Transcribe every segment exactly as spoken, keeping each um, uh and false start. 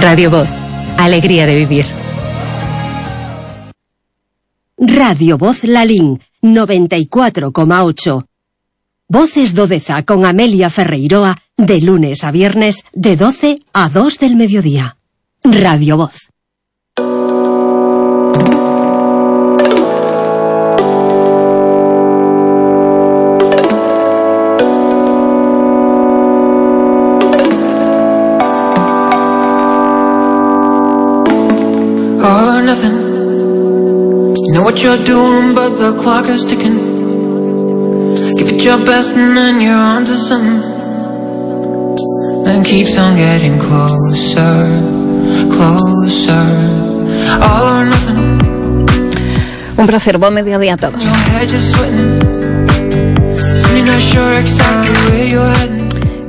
Radio Voz, alegría de vivir. Radio Voz Lalín, noventa y cuatro coma ocho. Voces do Deza con Amelia Ferreiroa, de lunes a viernes, de doce a dos del mediodía. Radio Voz. All or nothing. You know what you're doing, but the clock is ticking. Give it your best and then you're on to something. Then keeps on getting closer, closer. All or nothing. Un placer, buen mediodía a todos.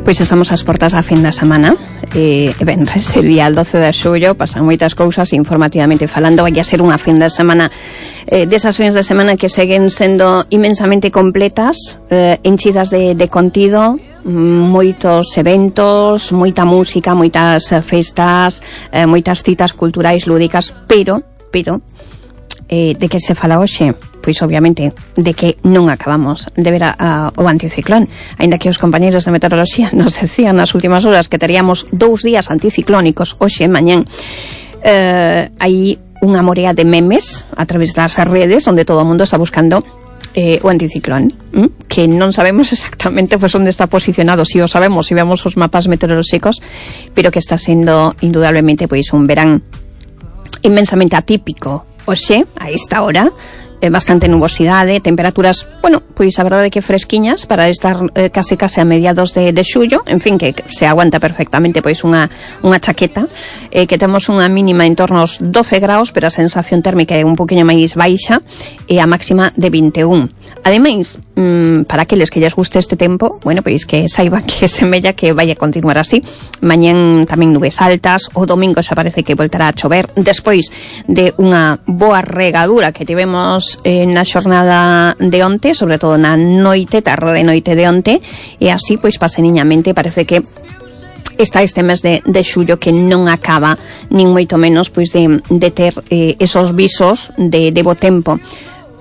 Pois estamos ás portas da fin da semana. E, ben, ese día el doce de xullo pasan moitas cousas informativamente falando. Vai a ser unha fin de semana eh, desas fins de semana que seguen sendo inmensamente completas, eh, enchidas de, de contido, moitos eventos, moita música, moitas festas, eh, moitas citas culturais lúdicas, pero, pero eh, de que se fala hoxe? Pois obviamente de que non acabamos de ver a, a, o anticiclón, aínda que os compañeiros de meteoroloxía nos decían nas últimas horas que teríamos dous días anticiclónicos hoxe e mañán. Eh, hai unha morea de memes a través das redes onde todo o mundo está buscando eh, o anticiclón, ¿m? que non sabemos exactamente pues, onde está posicionado, si o sabemos, si vemos os mapas meteorolóxicos, pero que está sendo indudablemente pois un verán inmensamente atípico hoxe, a esta hora, eh, bastante nubosidade, temperaturas, bueno, pois a verdade que fresquiñas para estar eh, case case a mediados de, de xullo, en fin, que se aguanta perfectamente pois unha, unha chaqueta, eh, que temos unha mínima en torno aos doce graus, pero a sensación térmica é un poquinho máis baixa, e a máxima de vinte e un. Ademais, mmm, para aqueles que lles guste este tempo, bueno, pois que saiba que semella que vai a continuar así. Mañén tamén nubes altas, o domingo xa parece que voltará a chover, despois de unha boa regadura que tivemos eh, na xornada de onte, sobre todo na noite, tarde de noite de onte, e así, pois, paseniñamente, parece que está este mes de, de xullo que non acaba, nin moito menos, pois, de, de ter eh, esos visos de, de bo tempo.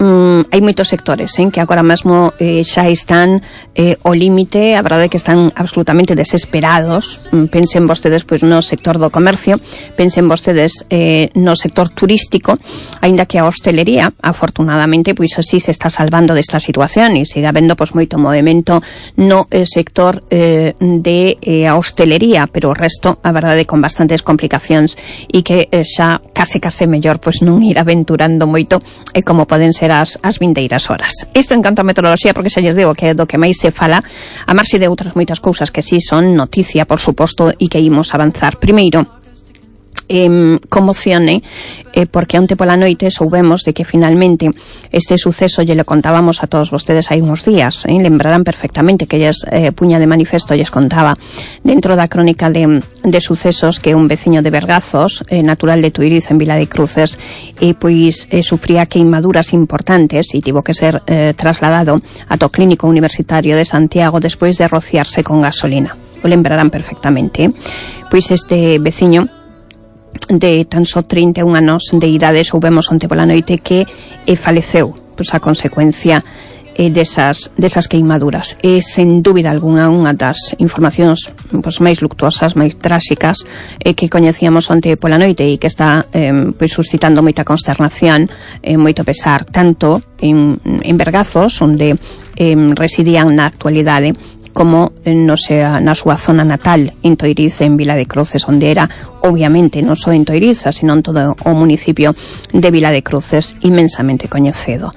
Mm, hai moitos sectores eh, que agora mesmo eh, xa están eh, ao límite, a verdade é que están absolutamente desesperados. Mm, pensen vostedes pois no sector do comercio, pensen vostedes eh, no sector turístico, aínda que a hostelería, afortunadamente, pois así se está salvando desta situación e sigue habendo pois moito movimento no eh, sector eh, de eh, a hostelería, pero o resto, a verdade, con bastantes complicacións e que eh, xa case case mellor pois non ir aventurando moito e eh, como poden ser as, as vindeiras horas. Isto en canto a meteoroloxía, porque xa lles digo que é do que máis se fala, a marxe de outras moitas cousas que sí son noticia, por suposto, e que imos avanzar. Primeiro, eh, conmocione, eh, porque onte pola noite soubemos de que finalmente este suceso lle lo contábamos a todos vostedes hai uns días, eh, lembrarán perfectamente que lles eh, puña de manifesto lles contaba dentro da crónica de, de sucesos que un veciño de Bergazos, eh, natural de Tuiriz en Vila de Cruces, e eh, pois eh, sufría queimaduras importantes e tivo que ser eh, trasladado ata o Clínico Universitario de Santiago despois de rociarse con gasolina. O lembrarán perfectamente. Eh? Pois este veciño de tan só trinta e un anos de idade soubemos onte pola noite que eh, faleceu pois, a consecuencia eh, desas, desas queimaduras. E sen dúbida algunha unha das informacións pois, máis luctuosas, máis tráxicas eh, que coñecíamos onte pola noite e que está eh, pois, suscitando moita consternación, eh, moito pesar, tanto en, en Bergazos, onde eh, residían na actualidade, como no sea na súa zona natal en Toiriz, en Vila de Cruces, onde era, obviamente, non só en Toiriz, sino en todo o municipio de Vila de Cruces, inmensamente coñecido.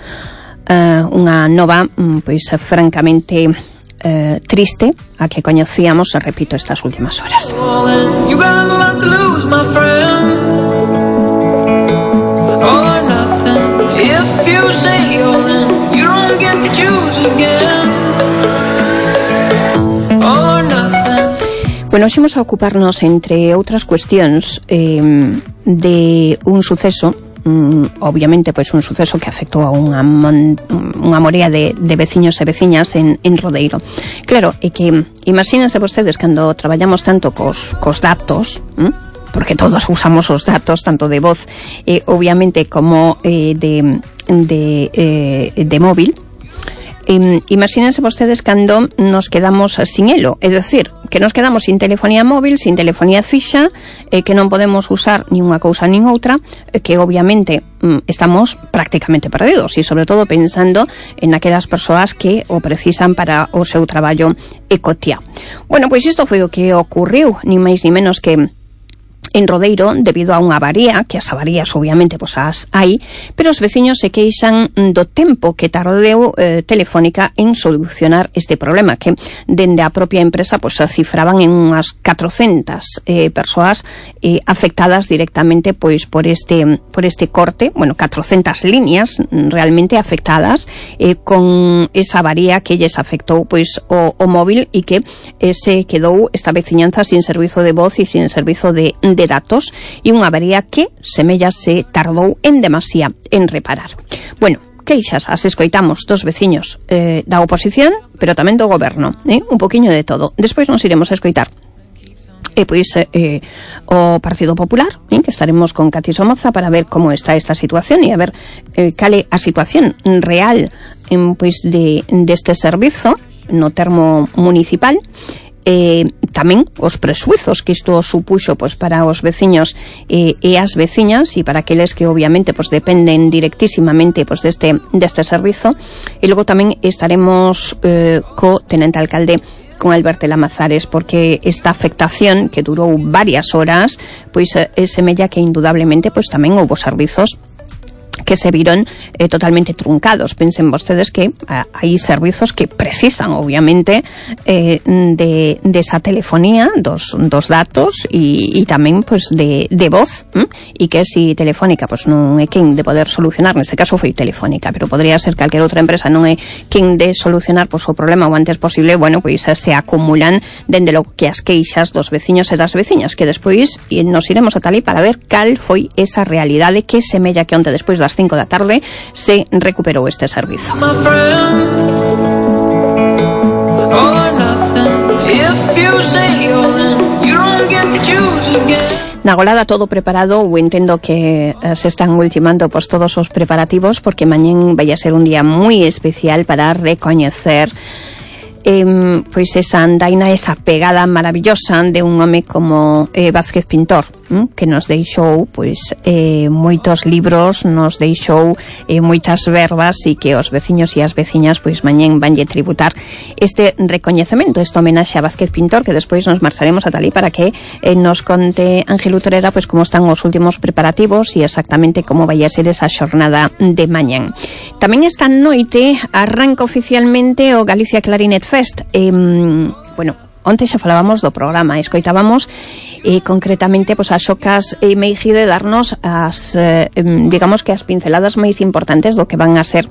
Uh, unha nova, pois, francamente uh, triste, a que coñecíamos, repito, estas últimas horas. You got a lot to lose, my friend. All or nothing. If you say all in, you don't get to choose again. Bueno, ximos a ocuparnos, entre outras cuestións, eh, de un suceso, mm, obviamente, pois un suceso que afectou a unha, mon, unha morea de, de veciños e veciñas en, en Rodeiro. Claro, é que, imagínense vostedes, cando traballamos tanto cos, cos datos, hm? porque todos usamos os datos, tanto de voz, eh, obviamente, como eh, de, de, eh, de móvil. Eh, imagínense vostedes cando nos quedamos sin elo, é dicir, que nos quedamos sin telefonía móvil, sin telefonía fixa, eh, que non podemos usar ni unha cousa nin outra, eh, que obviamente mm, estamos prácticamente perdidos, e sobre todo pensando en aquelas persoas que o precisan para o seu traballo e cotiá. Bueno, pois isto foi o que ocurriu, ni máis ni menos que en Rodeiro, debido a unha avaría, que as avarías obviamente pois as hai, pero os veciños se queixan do tempo que tardeu eh, Telefónica en solucionar este problema, que dende a propia empresa pois se cifraban en unhas catrocentas eh, persoas eh, afectadas directamente pois por este por este corte, bueno, catrocentas líneas realmente afectadas eh, con esa avaría que lles afectou pois o, o móvil e que eh, se quedou esta veciñanza sin servizo de voz e sin servizo de, de datos, e unha avería que semella se tardou en demasía en reparar. Bueno, queixas as escoitamos dos veciños eh, da oposición, pero tamén do goberno, eh? Un poquinho de todo. Despois nos iremos a escoitar e pois eh, o Partido Popular, eh, que estaremos con Cati Somoza para ver como está esta situación e a ver eh, cale a situación real en, pois de deste servizo no termo municipal. Eh, tamén os presuizos que isto supuxo pois, para os veciños eh, e as veciñas e para aqueles que obviamente pois, dependen directísimamente pois, deste, deste servizo, e logo tamén estaremos eh, co tenente alcalde, con Alberto Lamazares, porque esta afectación que durou varias horas pois eh, semella que indudablemente pois, tamén houbo servizos que se viron eh, totalmente truncados. Pensen vostedes que ah, hai servizos que precisan, obviamente, eh, de, de esa telefonía, dos, dos datos e, e tamén, pues, de, de voz, ¿m? E que si Telefónica, pues, non é quen de poder solucionar, neste caso foi Telefónica, pero podría ser calquera outra empresa, non é quen de solucionar, pues, o problema o antes posible, bueno, pois pues, se acumulan dende lo que as queixas dos veciños e das veciñas, que despois nos iremos a Talí para ver cal foi esa realidade que semella que onte despois das cinco da tarde se recuperou este servizo. Na Golada todo preparado, ou entendo que eh, se están ultimando pois, todos os preparativos, porque mañén vai a ser un día moi especial para recoñecer Eh, pois esa andaina, esa pegada maravillosa de un home como eh, Vázquez Pintor, hm? que nos deixou pois eh, moitos libros, nos deixou eh, moitas verbas, e que os veciños e as veciñas pois mañén vanlle tributar este recoñecemento, este homenaxe a Vázquez Pintor, que despois nos marcharemos a Talí para que eh, nos conte Ángel Utrera pois como están os últimos preparativos e exactamente como vai a ser esa xornada de mañán. Tamén esta noite arranca oficialmente o Galicia Clarinet Fest. Eh, bueno, onte xa falábamos do programa, escoitábamos eh, concretamente pois, as xocas e Meiji de darnos as, eh, digamos que as pinceladas máis importantes do que van a ser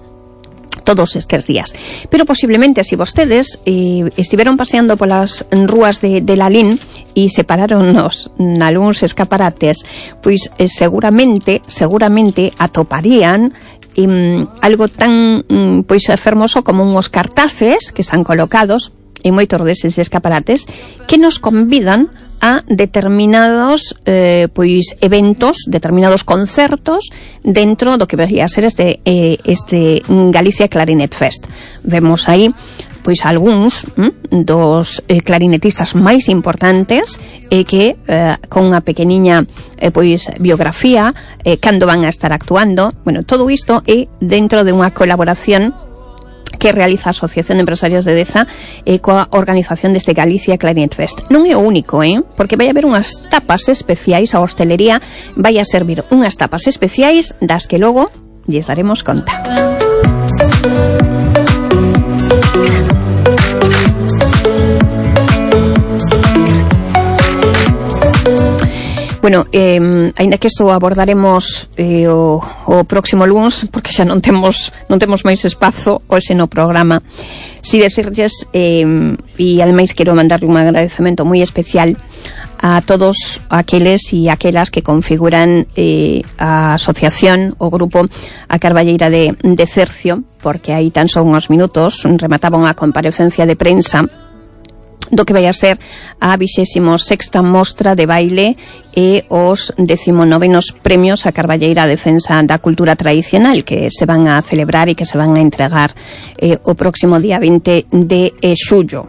todos estes días. Pero posiblemente, se si vostedes eh, estiveron paseando polas rúas de, de Lalín e se pararon nos nalúns escaparates, pois eh, seguramente, seguramente atoparían Um, algo tan um, pois fermoso como uns cartaces que están colocados en moitos deses escaparates que nos convidan a determinados eh, pois eventos, determinados concertos dentro do que vai a ser este eh, este Galicia Clarinet Fest. Vemos aí pois algúns hm, dos eh, clarinetistas máis importantes e eh, que eh, con unha pequeniña eh, pois biografía eh, cando van a estar actuando. Bueno, todo isto é dentro de unha colaboración que realiza a Asociación de Empresarios de Deza eh, coa organización deste Galicia Clarinet Fest. Non é o único, eh? Porque vai haber unhas tapas especiais, a hostelería vai a servir unhas tapas especiais das que logo lles daremos conta. Bueno, eh, ainda que isto abordaremos eh, o, o próximo luns, porque xa non temos non temos máis espazo hoxe no programa. Si decirles, eh, e ademais quero mandarle un agradecemento moi especial a todos aqueles e aquelas que configuran eh, a asociación, o grupo A Carballeira de, de Cercio, porque aí tan só uns minutos remataban a comparecencia de prensa do que vai a ser a vixésima sexta mostra de baile e os decimonovenos premios a Carballeira a defensa da cultura tradicional que se van a celebrar e que se van a entregar eh, o próximo día vinte de xullo.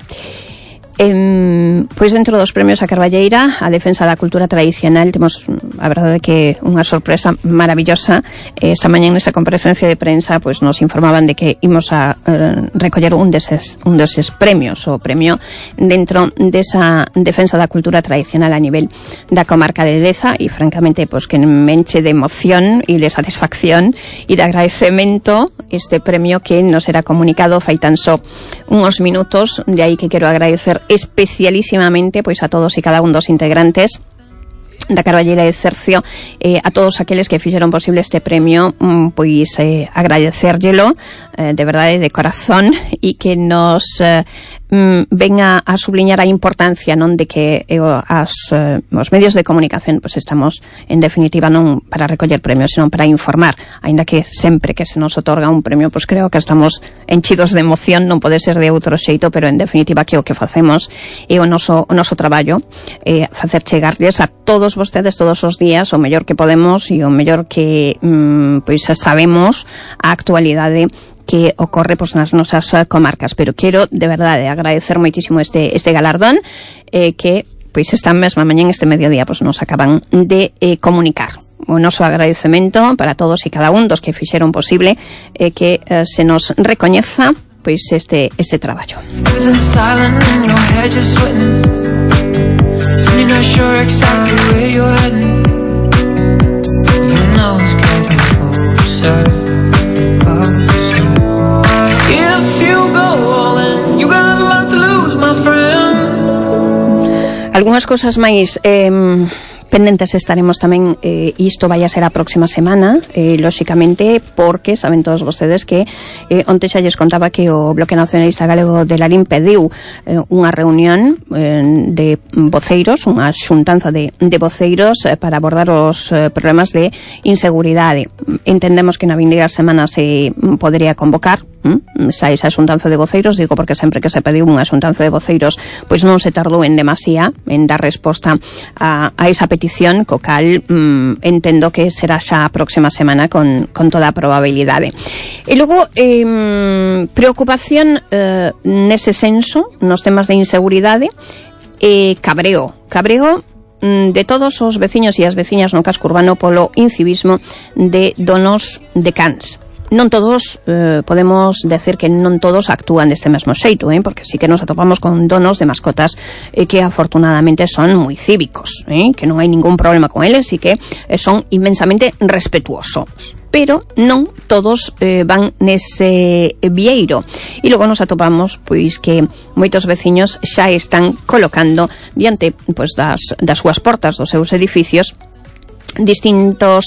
Eh, pois dentro dos premios a Carballeira a defensa da cultura tradicional temos a verdade que unha sorpresa maravillosa. eh, esta mañá nesa comparecencia de prensa pois nos informaban de que imos a eh, recoller un deses, un deses premios, o premio dentro desa defensa da cultura tradicional a nivel da comarca de Deza, e francamente pois que me enche de emoción e de satisfacción e de agradecemento este premio que nos era comunicado fai tan só uns minutos. De aí que quero agradecer especialísimamente pois a todos e cada un dos integrantes da Carballeira de Cercio, eh, a todos aqueles que fixeron posible este premio, mm, pois eh, agradecérllelo eh, de verdade, de corazón, e que nos eh, mm, venga a subliñar a importancia non de que eh, as, eh, os medios de comunicación pois estamos en definitiva non para recoller premios, senón para informar, aínda que sempre que se nos otorga un premio pois creo que estamos enchidos de emoción, non pode ser de outro xeito, pero en definitiva que o que facemos é o noso, o noso traballo, eh, facer chegarlles a todos vostedes todos os días o mellor que podemos e o mellor que mm, pois sabemos a actualidade que ocorre pois nas nosas comarcas. Pero quero de verdade agradecer moitísimo este este galardón eh, que pois esta mesma mañá este mediodía pois nos acaban de eh, comunicar. O noso agradecemento para todos e cada un dos que fixeron posible eh, que eh, se nos recoñeza pois este este traballo. You're not sure exactly where you're heading. You know it's getting closer, closer. If you go all in, you got a lot to lose, my friend. Algunhas cosas máis eh, pendentes estaremos tamén, eh, isto vai a ser a próxima semana, eh, lóxicamente, porque saben todos vostedes que eh, onte xa lles contaba que o Bloque Nacionalista Galego de Lalín pediu eh, unha reunión eh, de voceiros, unha xuntanza de, de voceiros eh, para abordar os eh, problemas de inseguridade. Entendemos que na vindeira semana se podría convocar ¿Mm? xa esa xuntanza de voceiros, digo porque sempre que se pediu unha xuntanza de voceiros pois non se tardou en demasía en dar resposta a, a esa petición, co cal mm, entendo que será xa a próxima semana con, con toda a probabilidade. E logo eh, preocupación eh, nese senso nos temas de inseguridade e eh, cabreo cabreo mm, de todos os veciños e as veciñas no casco urbano polo incivismo de donos de cans. Non todos, eh, podemos decir que non todos actúan deste mesmo xeito, eh? Porque sí que nos atopamos con donos de mascotas eh, que afortunadamente son moi cívicos, eh? Que non hai ningún problema con eles e que eh, son inmensamente respetuosos. Pero non todos eh, van nese vieiro. E logo nos atopamos pois que moitos veciños xa están colocando diante pois das, das súas portas dos seus edificios distintos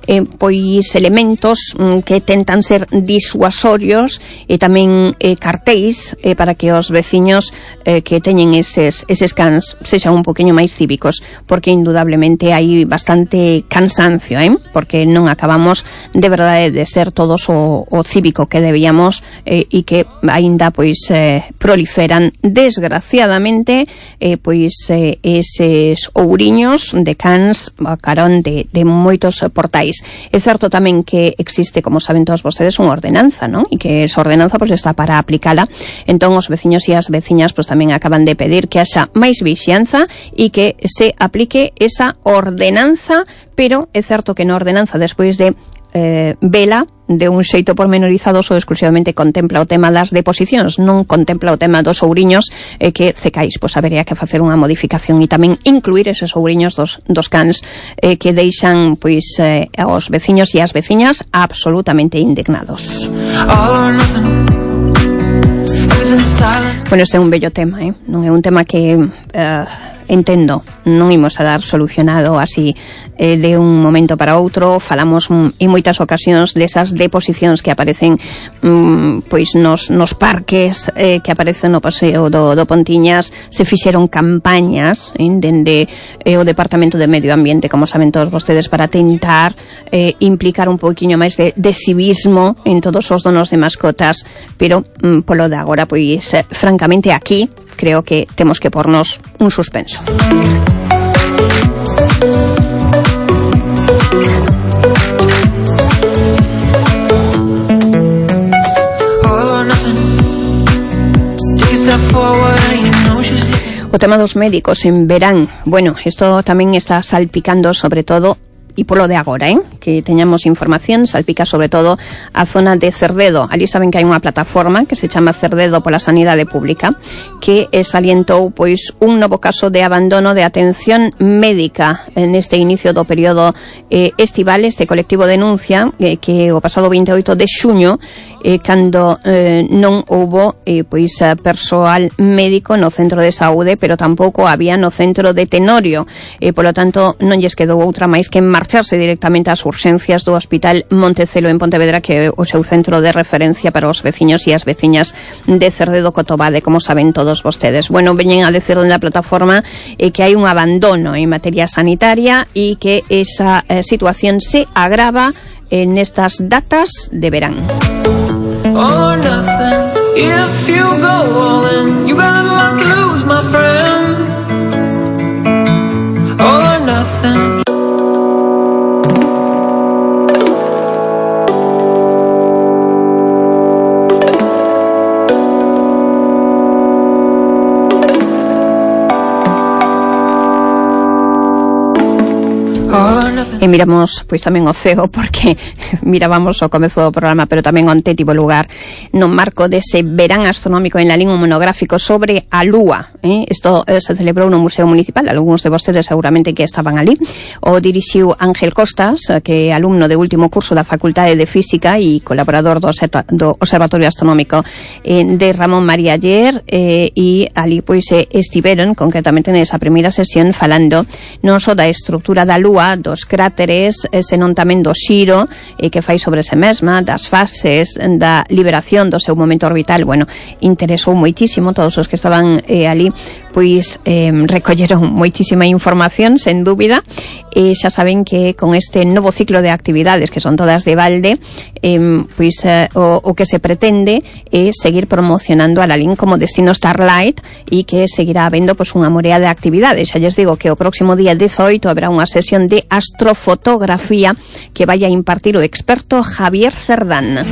eh, pois elementos mm, que tentan ser disuasorios e tamén eh, cartéis eh, para que os veciños eh, que teñen eses, eses cans sexan un poquinho máis cívicos, porque indudablemente hai bastante cansancio, eh? Porque non acabamos de verdade de ser todos o, o cívico que debíamos eh, e que aínda pois eh, proliferan desgraciadamente eh, pois eh, eses ouriños de cans a carón de De, de moitos portais. É certo tamén que existe, como saben todos vostedes, unha ordenanza, non? E que esa ordenanza pois está para aplicala. Entón os veciños e as veciñas pois tamén acaban de pedir que haxa máis vixianza e que se aplique esa ordenanza, pero é certo que na ordenanza despois de eh, vela de un xeito pormenorizado só exclusivamente contempla o tema das deposicións, non contempla o tema dos ouriños eh, que cecais, pois habería que facer unha modificación e tamén incluir eses ouriños dos, dos cans eh, que deixan pois eh, aos veciños e as veciñas absolutamente indignados. Bueno, este é un bello tema, eh? Non é un tema que eh, entendo, non imos a dar solucionado así eh, de un momento para outro. Falamos mm, en moitas ocasións desas deposicións que aparecen mm, pois nos, nos parques eh, que aparecen no paseo do, do Pontiñas. Se fixeron campañas eh, dende eh, o Departamento de Medio Ambiente, como saben todos vostedes, para tentar eh, implicar un poquinho máis de, de civismo en todos os donos de mascotas, pero mm, polo de agora pois eh, francamente aquí creo que temos que pornos un suspenso. O tema dos médicos en verán, bueno, isto tamén está salpicando sobre todo e polo de agora, eh? que teñamos información, salpica sobre todo a zona de Cerdedo. Ali saben que hai unha plataforma que se chama Cerdedo pola Sanidade Pública, que salientou pois un novo caso de abandono de atención médica neste inicio do período eh, estival. Este colectivo denuncia eh, que o pasado veinte e oito de xuño eh, cando eh, non houbo eh, pois persoal médico no centro de saúde, pero tampouco había no centro de Tenorio, e eh, polo tanto non lles quedou outra máis que marcharse directamente ás urxencias do Hospital Montecelo en Pontevedra, que é o seu centro de referencia para os veciños e as veciñas de Cerdedo Cotobade, como saben todos vostedes. Bueno, veñen a decir na plataforma eh, que hai un abandono en materia sanitaria e que esa eh, situación se agrava en estas datas de verán. All or nothing. If you go all in, you got a lot to lose, my friend. All or nothing. E miramos pois tamén o ceo, porque mirábamos o comezo do programa, pero tamén onte tivo lugar no marco dese verán astronómico en Lalín un monográfico sobre a Lúa. Eh? Isto eh, se celebrou no Museo Municipal, algúns de vostedes seguramente que estaban ali. O dirixiu Ángel Costas, que é alumno de último curso da Facultade de Física e colaborador do, do Observatorio Astronómico eh, de Ramón María Aller, eh, e ali pois eh, estiveron concretamente nesa primeira sesión falando non só da estrutura da Lúa, dos cráteres, senón tamén do xiro eh, que fai sobre se mesma, das fases, da liberación do seu momento orbital. Bueno, interesou moitísimo todos os que estaban eh, ali, pois eh, recolleron moitísima información, sen dúbida, e xa saben que con este novo ciclo de actividades, que son todas de balde, eh, pois eh, o, o que se pretende é seguir promocionando a Lalín como destino Starlight, e que seguirá habendo pois unha morea de actividades. Xa lles digo que o próximo día dezoito haberá unha sesión de astrofotografía que vai a impartir o experto Javier Cerdán.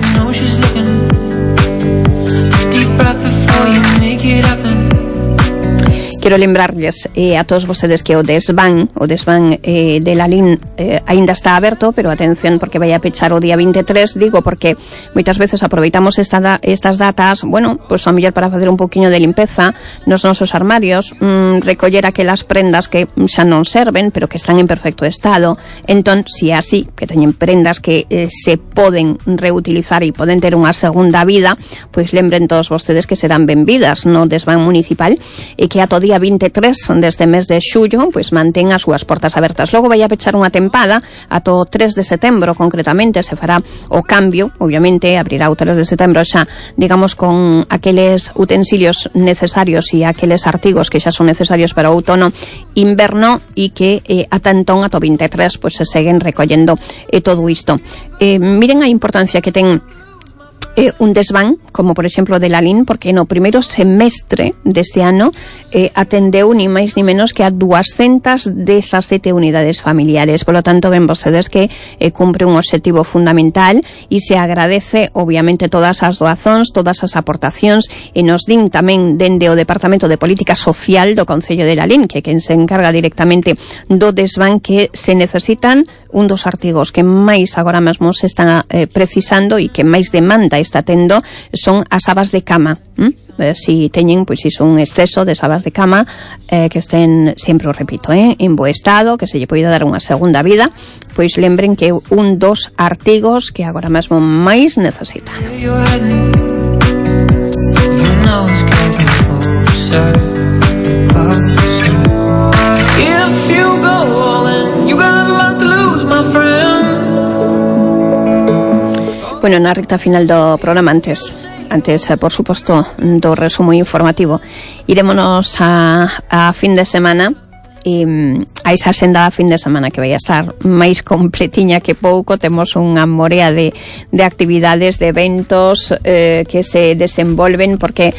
Quero lembrarles eh, a todos vostedes que o desván, o desván eh, de Lalín eh, aínda está aberto, pero atención porque vai a pechar o día vinte e tres, digo porque moitas veces aproveitamos esta da, estas datas, bueno, pois pues, a mellor para facer un poquinho de limpeza nos nosos armarios, mmm, recoller aquelas prendas que xa non serven, pero que están en perfecto estado. Entón, si é así, que teñen prendas que eh, se poden reutilizar e poden ter unha segunda vida, pois pues, lembren todos vostedes que serán benvidas no desván municipal, e que a todo día vinte e tres deste mes de xullo pois mantén as súas portas abertas. Logo vai a pechar unha tempada ata o tres de setembro, concretamente se fará o cambio, obviamente abrirá o tres de setembro xa, digamos, con aqueles utensilios necesarios e aqueles artigos que xa son necesarios para o outono inverno, e que eh, ata entón, ata o vinte e tres, pois se seguen recollendo eh, todo isto. Eh, miren a importancia que ten Eh, un desván, como por exemplo de Lalín, porque no primeiro semestre deste ano eh, atendeu ni máis ni menos que a doscientas dezasete unidades familiares. Por lo tanto, ven vostedes que eh, cumpre un obxectivo fundamental, e se agradece obviamente todas as doazóns, todas as aportacións, e nos din tamén dende o Departamento de Política Social do Concello de Lalín, que é quen se encarga directamente do desván, que se necesitan un dos artigos que máis agora mesmo se están eh, precisando e que máis demanda está tendo son as sabas de cama. ¿Mm? Eh, si teñen, pois, si son un exceso de sabas de cama, eh, que estén, sempre o repito, eh, en bo estado, que se lle poida dar unha segunda vida, pois lembren que é un dos artigos que agora mesmo máis necesitan. Bueno, na recta final do programa, antes, antes por suposto, do resumo informativo, irémonos a, a fin de semana, e a esa xenda da fin de semana que vai a estar máis completiña que pouco. Temos unha morea de, de actividades, de eventos eh, que se desenvolven, porque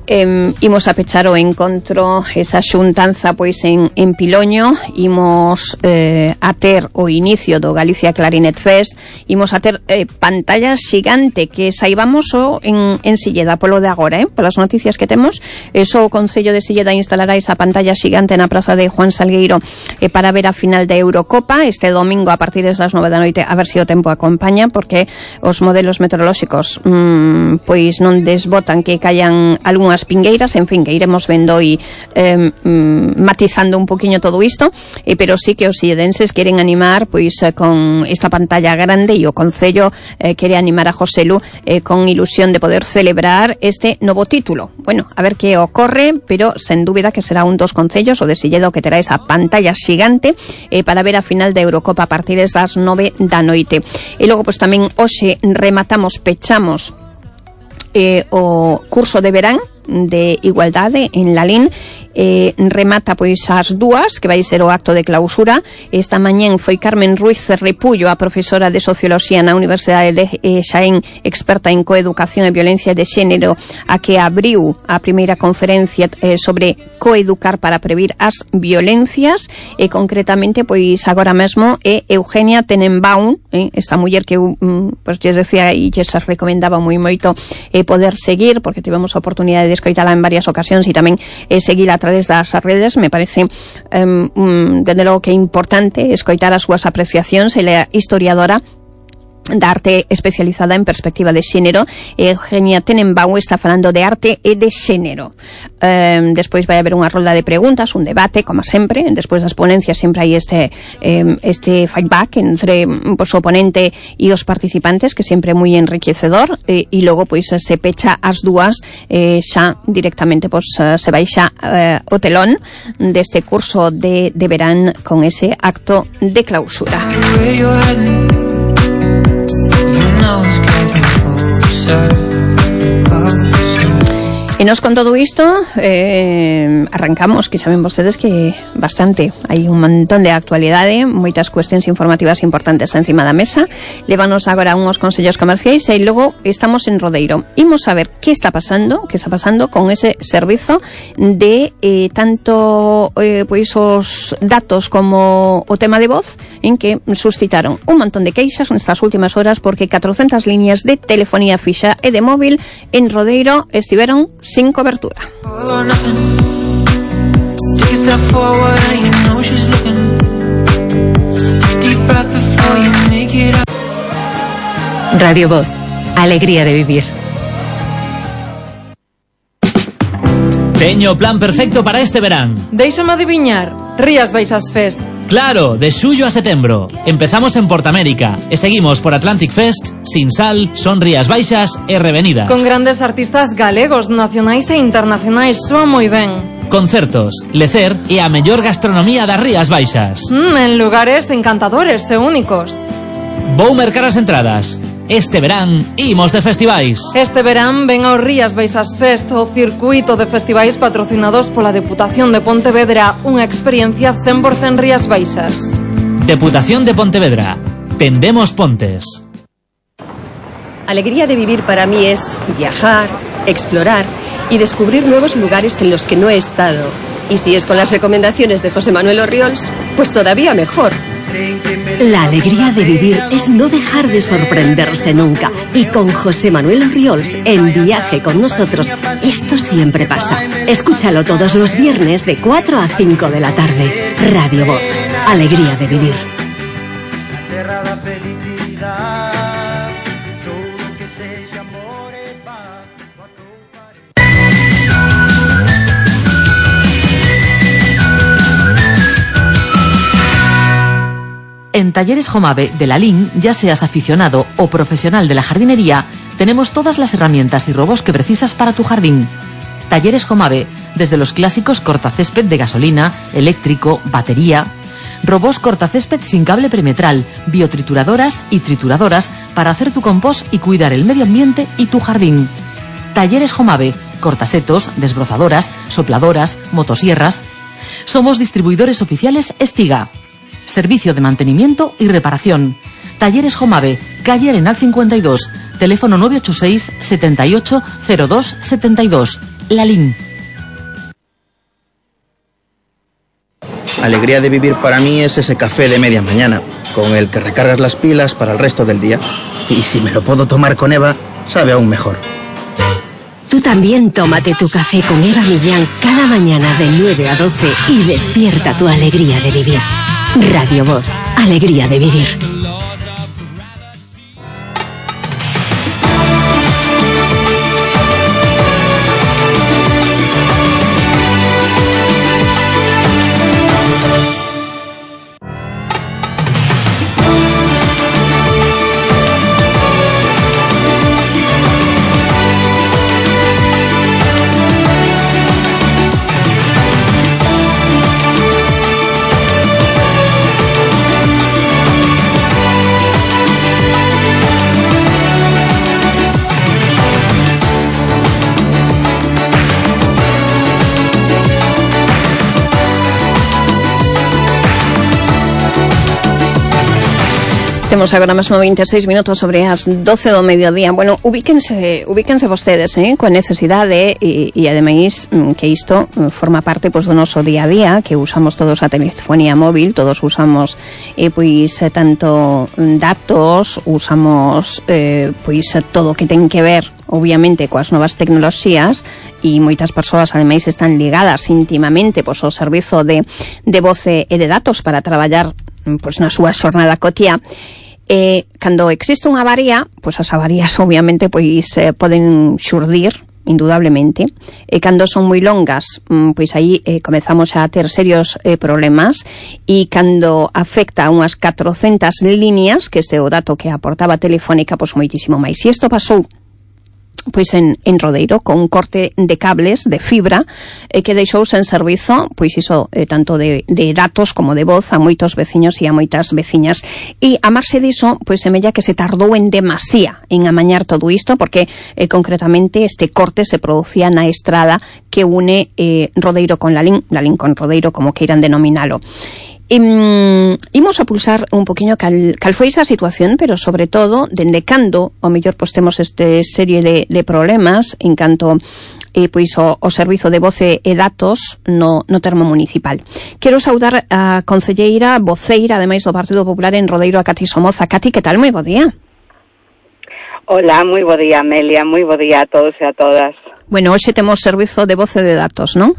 Eh, imos a pechar o encontro, esa xuntanza pois en, en Piloño, imos eh, a ter o inicio do Galicia Clarinet Fest, imos a ter eh, pantalla xigante, que saibamos o en, en Silleda, polo de agora, eh, polas noticias que temos, eso o Concello de Silleda instalará esa pantalla xigante na praza de Juan Salgueiro eh, para ver a final da Eurocopa, este domingo a partir das nove da noite, a ver se o tempo acompaña, porque os modelos meteorolóxicos mmm, pois non desbotan que callan algunhas pingueiras, en fin, que iremos vendo e eh, mm, matizando un poquinho todo isto, eh, pero sí que os silledenses queren animar pois eh, con esta pantalla grande, e o Concello eh, quere animar a Joselu eh, con ilusión de poder celebrar este novo título. Bueno, a ver que ocorre, pero sen dúbida que será un dos concellos, o de Silleda, que terá esa pantalla xigante eh, para ver a final da Eurocopa a partir das nove da noite. E logo, pois tamén hoxe rematamos, pechamos eh, o curso de verán de Igualdade en Lalín, eh, remata pois as dúas, que vai ser o acto de clausura. Esta mañén foi Carmen Ruiz Repullo, a profesora de Socioloxía na Universidade de eh, Xaén, experta en coeducación e violencia de xénero, a que abriu a primeira conferencia eh, sobre coeducar para previr as violencias, e concretamente pois agora mesmo é Eugenia Tenenbaum, eh, esta muller que eu mm, pois lles decía e lles recomendaba moi moito eh, poder seguir, porque tivemos a oportunidade de escoitala en varias ocasións e tamén eh, seguila a través das redes. Me parece um, um, desde logo que é importante escoitar as súas apreciacións. Ela é historiadora da arte especializada en perspectiva de xénero. Eugenia Tenenbaum está falando de arte e de xénero. Um, despois vai haber unha rolda de preguntas, un debate, como sempre. Despois das ponencias sempre hai este um, este feedback entre pues, o ponente e os participantes, que sempre é moi enriquecedor, e, e logo pois se pecha as dúas eh, xa directamente pues, se vai xa eh, o telón deste curso de, de verán con ese acto de clausura. E nos con todo isto eh, arrancamos, que saben vostedes que bastante, hai un montón de actualidade, moitas cuestións informativas importantes encima da mesa. Lévanos agora uns consellos comerciais e logo estamos en Rodeiro. Imos a ver que está pasando, que está pasando con ese servizo de eh, tanto eh, pois os datos como o tema de voz, en que suscitaron un montón de queixas nestas últimas horas porque catrocentas líneas de telefonía fixa e de móvil en Rodeiro estiveron sin cobertura. Radio Voz, alegría de vivir. Teño o plan perfecto para este verán. Déixame adiviñar, Rías Baixas Fest. Claro, de xullo a setembro. Empezamos en Portamérica e seguimos por Atlantic Fest, Sinsal, Son Rías Baixas e Revenidas. Con grandes artistas galegos, nacionais e internacionais, soa moi ben. Concertos, lecer e a mellor gastronomía das Rías Baixas. Mm, en lugares encantadores e únicos. Vou mercar as entradas. Este verán imos de festivais. Este verán ven ao Rías Baixas Fest, o circuito de festivais patrocinados pola Deputación de Pontevedra, unha experiencia cen por cen Rías Baixas. Deputación de Pontevedra. Tendemos pontes. Alegría de vivir para mí es viajar, explorar y descubrir nuevos lugares en los que no he estado. Y si es con las recomendaciones de José Manuel Orriols, pues todavía mejor. La alegría de vivir es no dejar de sorprenderse nunca. Y con José Manuel Orriols en Viaje con Nosotros, esto siempre pasa. Escúchalo todos los viernes de cuatro a cinco de la tarde. Radio Voz, alegría de vivir. En Talleres Jomave de Lalín, ya seas aficionado o profesional de la jardinería, tenemos todas las herramientas y robos que precisas para tu jardín. Talleres Jomave, desde los clásicos cortacésped de gasolina, eléctrico, batería, robos cortacésped sin cable perimetral, biotrituradoras y trituradoras para hacer tu compost y cuidar el medio ambiente y tu jardín. Talleres Jomave, cortasetos, desbrozadoras, sopladoras, motosierras. Somos distribuidores oficiales Estiga. Servicio de mantenimiento y reparación. Talleres Jomave, calle Arenal cincuenta y dos, teléfono nueve ocho seis, setenta y ocho, cero dos, setenta y dos. Lalín. Alegría de vivir para mí es ese café de media mañana, con el que recargas las pilas para el resto del día. Y si me lo puedo tomar con Eva, sabe aún mejor. Tú también tómate tu café con Eva Millán cada mañana de nueve a doce y despierta tu alegría de vivir. Radio Voz, alegría de vivir. Temos agora mesmo vinte e seis minutos sobre as doce do mediodía. Bueno, ubíquense, ubíquense vostedes, eh, coa necesidade e, e ademais que isto forma parte pois do noso día a día, que usamos todos a telefonía móvil, todos usamos eh, pois tanto datos, usamos eh, pois todo o que ten que ver obviamente coas novas tecnoloxías e moitas persoas ademais están ligadas íntimamente pois ao servizo de, de voce e de datos para traballar pois na súa xornada cotiá. Eh, cando existe unha avaría, pois as avarías obviamente pois eh, poden xurdir indudablemente, e cando son moi longas, pois aí eh, comezamos a ter serios eh, problemas, e cando afecta a unhas catrocentas líneas, que este é o dato que aportaba Telefónica, pois moitísimo máis. E isto pasou pois en, en Rodeiro, con un corte de cables de fibra eh, que deixou sen servizo, pois iso eh, tanto de, de datos como de voz a moitos veciños e a moitas veciñas, e a marxe diso, pois semella que se tardou en demasía en amañar todo isto, porque eh, concretamente este corte se producía na estrada que une eh, Rodeiro con Lalín, Lalín con Rodeiro, como queiran denominalo. Um, imos a pulsar un poquinho cal, cal foi esa situación, pero sobre todo dende cando o mellor pois temos este serie de, de problemas en canto eh, pois o, o servizo de voce e datos no, no termo municipal. Quero saudar a concelleira voceira ademais do Partido Popular en Rodeiro, a Cati Somoza. Cati, que tal? Moi bo día. Hola, moi bo día, Amelia, moi bo día a todos e a todas. Bueno, hoxe temos servizo de voce e de datos, non?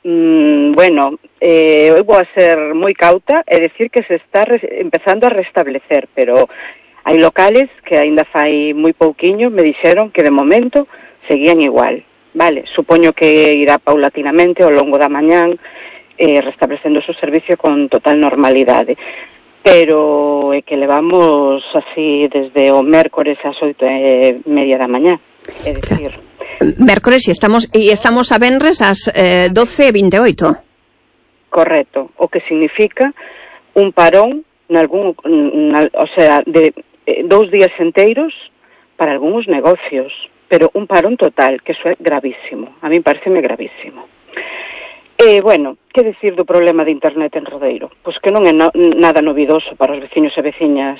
Mm, bueno, eh, eu vou a ser moi cauta e decir que se está re- empezando a restablecer, pero hai locales que aínda fai moi pouquiño me dixeron que de momento seguían igual, vale? Supoño que irá paulatinamente ao longo da mañán eh, restablecendo o seu servicio con total normalidade, pero é que levamos así desde o mércores ás oito e media da mañá, é dicir... Mércores e estamos e estamos a venres ás eh, doce e vinte e oito. Correcto, o que significa un parón nalgún, na, o sea, de eh, dous días enteiros para algúns negocios, pero un parón total, que eso é gravísimo. A mí pareceme gravísimo. E, bueno, que decir do problema de internet en Rodeiro? Pois que non é no, nada novidoso para os veciños e veciñas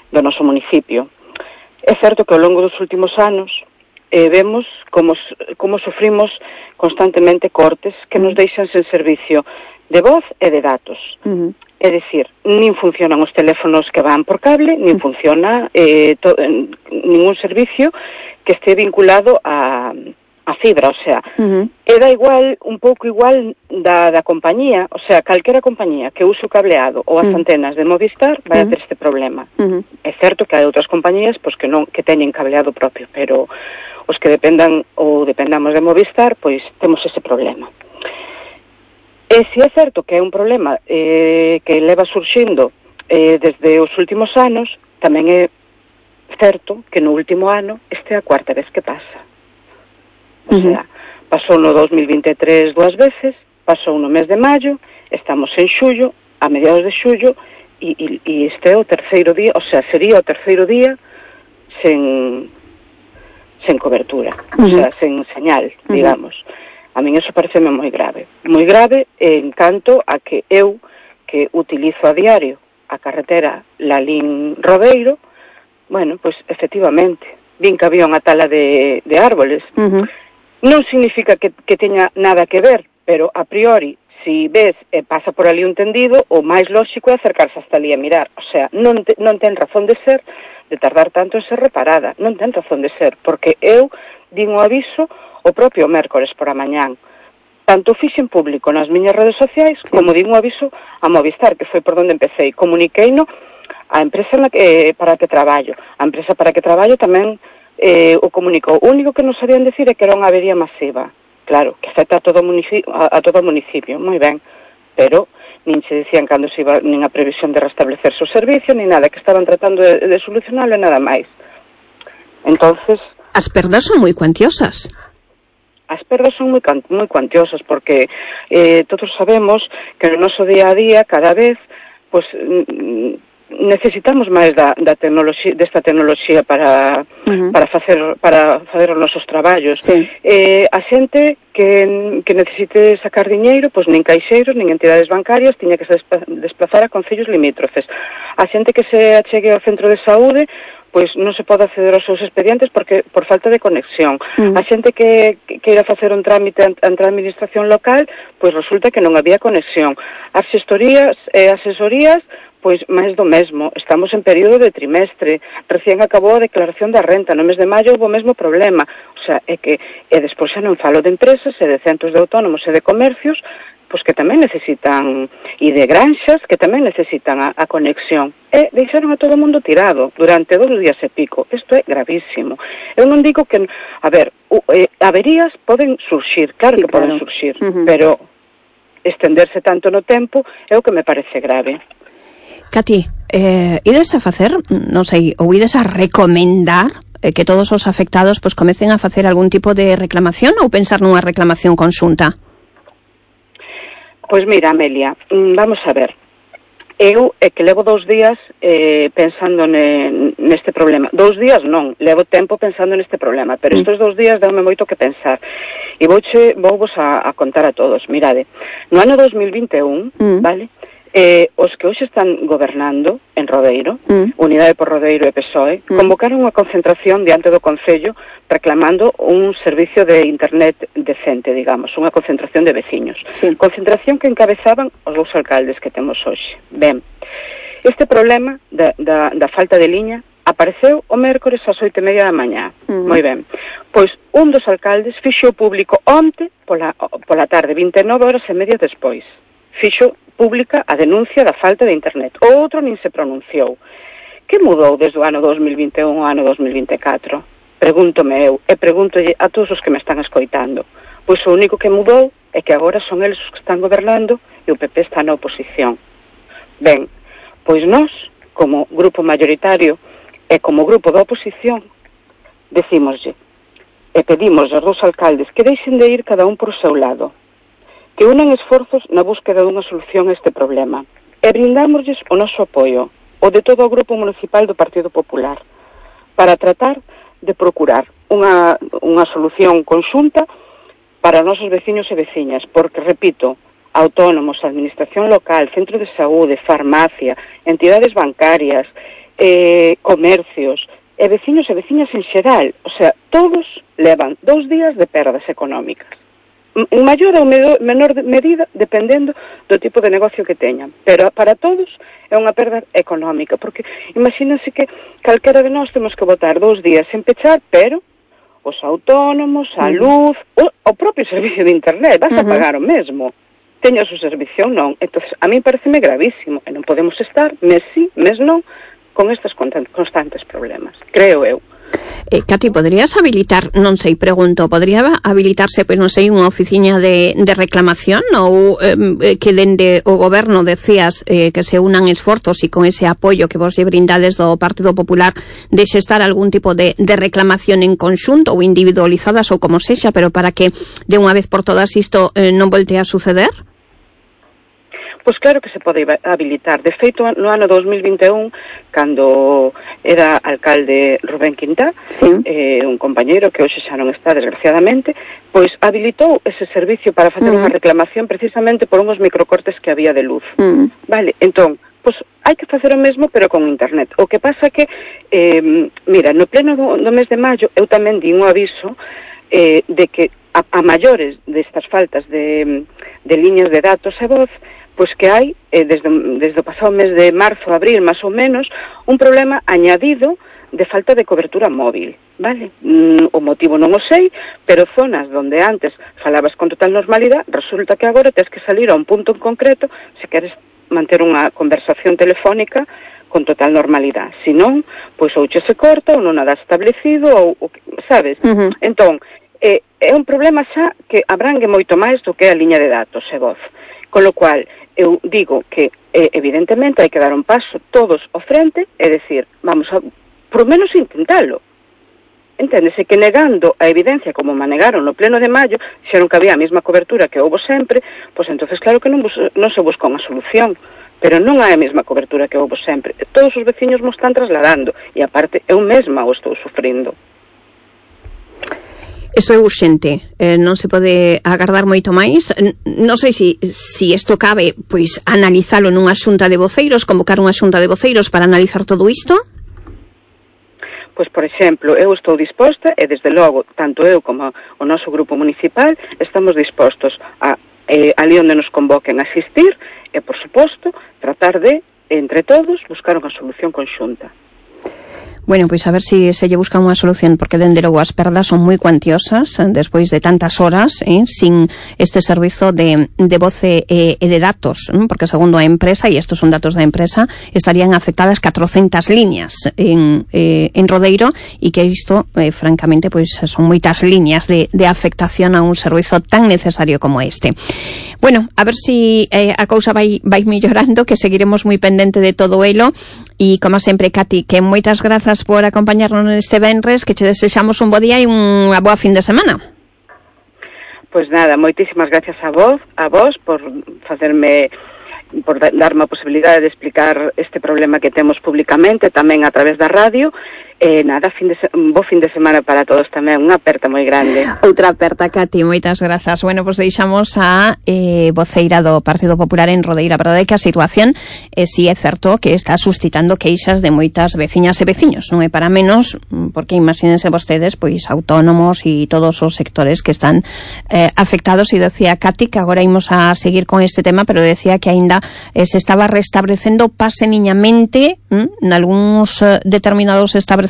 do noso municipio. É certo que ao longo dos últimos anos Eh, vemos como, como sufrimos constantemente cortes que nos deixan sen servicio de voz e de datos. Uh-huh. É dicir, nin funcionan os teléfonos que van por cable, nin funciona eh, to, eh, ningún servicio que este vinculado a, a fibra, o sea, uh-huh. e da igual, un pouco igual da, da compañía, o sea, calquera compañía que use o cableado ou as uh-huh. antenas de Movistar vai uh-huh. a ter este problema. Uh-huh. É certo que hai outras compañías pois, que non que teñen cableado propio, pero os que dependan ou dependamos de Movistar, pois temos ese problema. E se é certo que é un problema eh, que leva surxindo eh, desde os últimos anos, tamén é certo que no último ano este é a cuarta vez que pasa. O uh-huh. sea, pasou no dos mil vinte e tres dúas veces, pasou no mes de maio, estamos en xullo, a mediados de xullo, e, e, e este é o terceiro día, o sea, sería o terceiro día sen... sen cobertura, uh-huh. o sea, sen señal, digamos. Uh-huh. A min eso pareceme moi grave. Moi grave en canto a que eu, que utilizo a diario a carretera Lalín Rodeiro, bueno, pois, efectivamente, vin que había unha tala de, de árboles, uh-huh. Non significa que, que teña nada que ver, pero a priori, si ves e pasa por ali un tendido, o máis lóxico é acercarse hasta ali a mirar. O sea, non, te, non ten razón de ser de tardar tanto en ser reparada. Non ten razón de ser, porque eu din o aviso o propio mércores por a mañán. Tanto fixen público nas miñas redes sociais, sí, como din o aviso a Movistar, que foi por onde empecé. Comuniqueino a empresa na que, eh, para a que traballo. A empresa para a que traballo tamén eh, o comunicou. O único que nos sabían decir é que era unha avería masiva. Claro, que afecta a todo o municipio, a, a todo o municipio, moi ben, pero nin se dicían cando se iba, nin a previsión de restablecerse o servicio, nin nada, que estaban tratando de, de solucionarlo e nada máis. Entonces... As perdas son moi cuantiosas. As perdas son moi, moi cuantiosas, porque eh, todos sabemos que no noso día a día, cada vez, pues, necesitamos máis da, da tecnoloxía, desta tecnoloxía para uh-huh. para facer para facer os nosos traballos. Sí. Eh, a xente que, que necesite sacar diñeiro, pois nin caixeiros, nin entidades bancarias, tiña que se desplazar a concellos limítrofes. A xente que se achegue ao centro de saúde, pois non se pode acceder aos seus expedientes porque por falta de conexión. Uh-huh. A xente que, que queira facer un trámite ante a administración local, pois resulta que non había conexión. As xestorías e asesorías, pois máis do mesmo. Estamos en período de trimestre, recién acabou a declaración da renta, no mes de maio houve o mesmo problema. O sea, é que, e despois xa non falo de empresas e de centros de autónomos e de comercios, pois que tamén necesitan, e de granxas, que tamén necesitan a, a conexión. E deixaron a todo o mundo tirado durante dous días e pico. Isto é gravísimo. Eu non digo que, a ver, uh, eh, averías poden surxir, claro sí, que claro. poden surxir, uh-huh. pero estenderse tanto no tempo é o que me parece grave. Cati, eh, ides a facer, non sei, ou ides a recomendar eh, que todos os afectados pois comecen a facer algún tipo de reclamación ou pensar nunha reclamación conxunta? Pois mira, Amelia, vamos a ver. Eu é que levo dous días eh, pensando ne, neste problema. Dous días non, levo tempo pensando neste problema, pero estes dous días deume moito que pensar. E vouche, vou vos a, a contar a todos. Mirade, no ano dos mil vinte e un, mm. vale? Eh, os que hoxe están gobernando en Rodeiro, mm. Unidade por Rodeiro e P S O E, mm. convocaron unha concentración diante do Concello reclamando un servicio de internet decente, digamos, unha concentración de veciños. Sí. Concentración que encabezaban os dous alcaldes que temos hoxe. Ben, este problema da, da, da falta de liña apareceu o mércores ás oito e media da mañá. Mm. Moi ben. Pois un dos alcaldes fixo público onte pola, pola tarde, vinte e nove horas e media despois. Fixo pública a denuncia da falta de internet. O outro nin se pronunciou. Que mudou desde o ano dos mil vinte e un ao ano dos mil vinte e catro? Pregúntome eu, e pregúntolle a todos os que me están escoitando. Pois o único que mudou é que agora son eles os que están gobernando e o P P está na oposición. Ben, pois nós, como grupo mayoritario e como grupo da oposición, decímoslle e pedimos aos dous alcaldes que deixen de ir cada un por o seu lado, que unan esforzos na búsqueda dunha solución a este problema e brindámosles o noso apoio, o de todo o Grupo Municipal do Partido Popular, para tratar de procurar unha, unha solución conxunta para os nosos veciños e veciñas, porque, repito, autónomos, administración local, centro de saúde, farmacia, entidades bancarias, eh, comercios, e veciños e veciñas en xeral, o sea, todos levan dous días de perdas económicas. En maior ou menor medida, dependendo do tipo de negocio que teñan. Pero para todos é unha perda económica, porque imagínense que calquera de nós temos que botar dous días sen pechar, pero os autónomos, a luz, o, o propio servicio de internet, vas a pagar o mesmo. Teña o servicio ou non. Entón, a mí pareceme gravísimo, e non podemos estar, mes sí, mes non, con estes constantes problemas, creo eu. Eh, Cati, poderías habilitar, non sei, pregunto, podría habilitarse, pois non sei, unha oficina de, de reclamación ou eh, que dende o goberno decías eh, que se unan esforzos e con ese apoio que vos lle brindades do Partido Popular deixe estar algún tipo de, de reclamación en conxunto ou individualizadas ou como sexa, pero para que de unha vez por todas isto eh, non volte a suceder? Pois claro que se pode habilitar. De feito, no ano dos mil vinte e un, cando era alcalde Rubén Quintá, sí. eh, un compañeiro que hoxe xa non está, desgraciadamente, pois habilitou ese servicio para facer uh-huh. unha reclamación precisamente por unhos microcortes que había de luz. Uh-huh. Vale, entón, pois hai que facer o mesmo, pero con internet. O que pasa que, eh, mira, no pleno do, do mes de maio, eu tamén di un aviso eh, de que a, a maiores destas faltas de, de líneas de datos e voz, pois que hai, eh, desde, desde o pasado mes de marzo, abril, máis ou menos, un problema añadido de falta de cobertura móvil, vale? Mm, o motivo non o sei, pero zonas donde antes falabas con total normalidade, resulta que agora tens que salir a un punto en concreto se queres manter unha conversación telefónica con total normalidade. Se non, pois ou che se corta ou non nada establecido, ou, ou sabes? Uh-huh. Entón, eh, é un problema xa que abrangue moito máis do que a liña de datos e voz. Con lo cual, eu digo que, eh, evidentemente, hai que dar un paso todos ao frente, é dicir, vamos a, por menos, intentalo. Enténdese que negando a evidencia, como manegaron no pleno de maio, xeron que había a mesma cobertura que houbo sempre, pois entonces claro que non, bus, non se busca unha solución, pero non hai a mesma cobertura que houbo sempre. Todos os veciños mo están trasladando, e aparte, eu mesma o estou sufrindo. Isto é urxente, eh, non se pode agardar moito máis. Non sei se si, si isto cabe, pois, analizalo nunha xunta de voceiros, convocar unha xunta de voceiros para analizar todo isto. Pois, por exemplo, eu estou disposta, e desde logo, tanto eu como o noso grupo municipal, estamos dispostos a, eh, ali onde nos convoquen a asistir, e, por suposto, tratar de, entre todos, buscar unha solución conxunta. Bueno, pois a ver se si se lle busca unha solución, porque dende logo as perdas son moi cuantiosas despois de tantas horas eh, sin este servizo de, de voz e, e de datos, ¿no? Porque segundo a empresa, e estos son datos da empresa, estarían afectadas catrocentas líneas en, eh, en Rodeiro, e que isto, eh, francamente, pois son moitas líneas de, de afectación a un servizo tan necesario como este. Bueno, a ver se si, eh, a cousa vai, vai mellorando, que seguiremos moi pendente de todo elo, e como sempre, Cati, que moitas grazas por acompañarnos neste venres, que che desexamos un bo día e unha boa fin de semana. Pois nada, moitísimas gracias a vos, a vos por facerme, por darme a posibilidade de explicar este problema que temos públicamente, tamén a través da radio. Eh, nada, fin de se... un bo fin de semana para todos tamén, unha aperta moi grande. Outra aperta, Cati, moitas grazas. Bueno, pois pues deixamos a eh, voceira do Partido Popular en Rodeira. A verdade é que a situación eh, si é certo que está suscitando queixas de moitas veciñas e veciños, non é para menos, porque imagínense vostedes, pois autónomos e todos os sectores que están eh, afectados, e decía Cati que agora imos a seguir con este tema, pero decía que aínda eh, se estaba restablecendo paseniñamente hm, nalgúns eh, determinados establecementos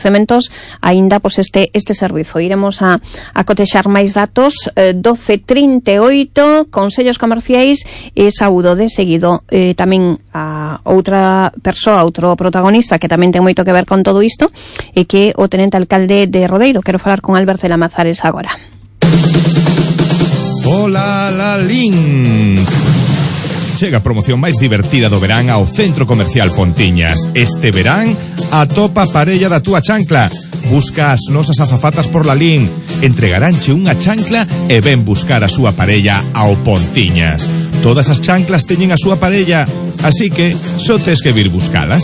aínda pois este este servizo. Iremos a, a cotexar máis datos. eh, doce trinta e oito, consellos comerciais, e saúdo de seguido eh, tamén a outra persoa, outro protagonista que tamén ten moito que ver con todo isto, e que o tenente alcalde de Rodeiro. Quero falar con Albert de Lamazares agora. Hola, Lalín. Chega a promoción máis divertida do verán ao Centro Comercial Pontiñas. Este verán, atopa a parella da túa chancla. Busca as nosas azafatas por Lalín. Entregaránche unha chancla e ven buscar a súa parella ao Pontiñas. Todas as chanclas teñen a súa parella, así que só tes que vir buscalas.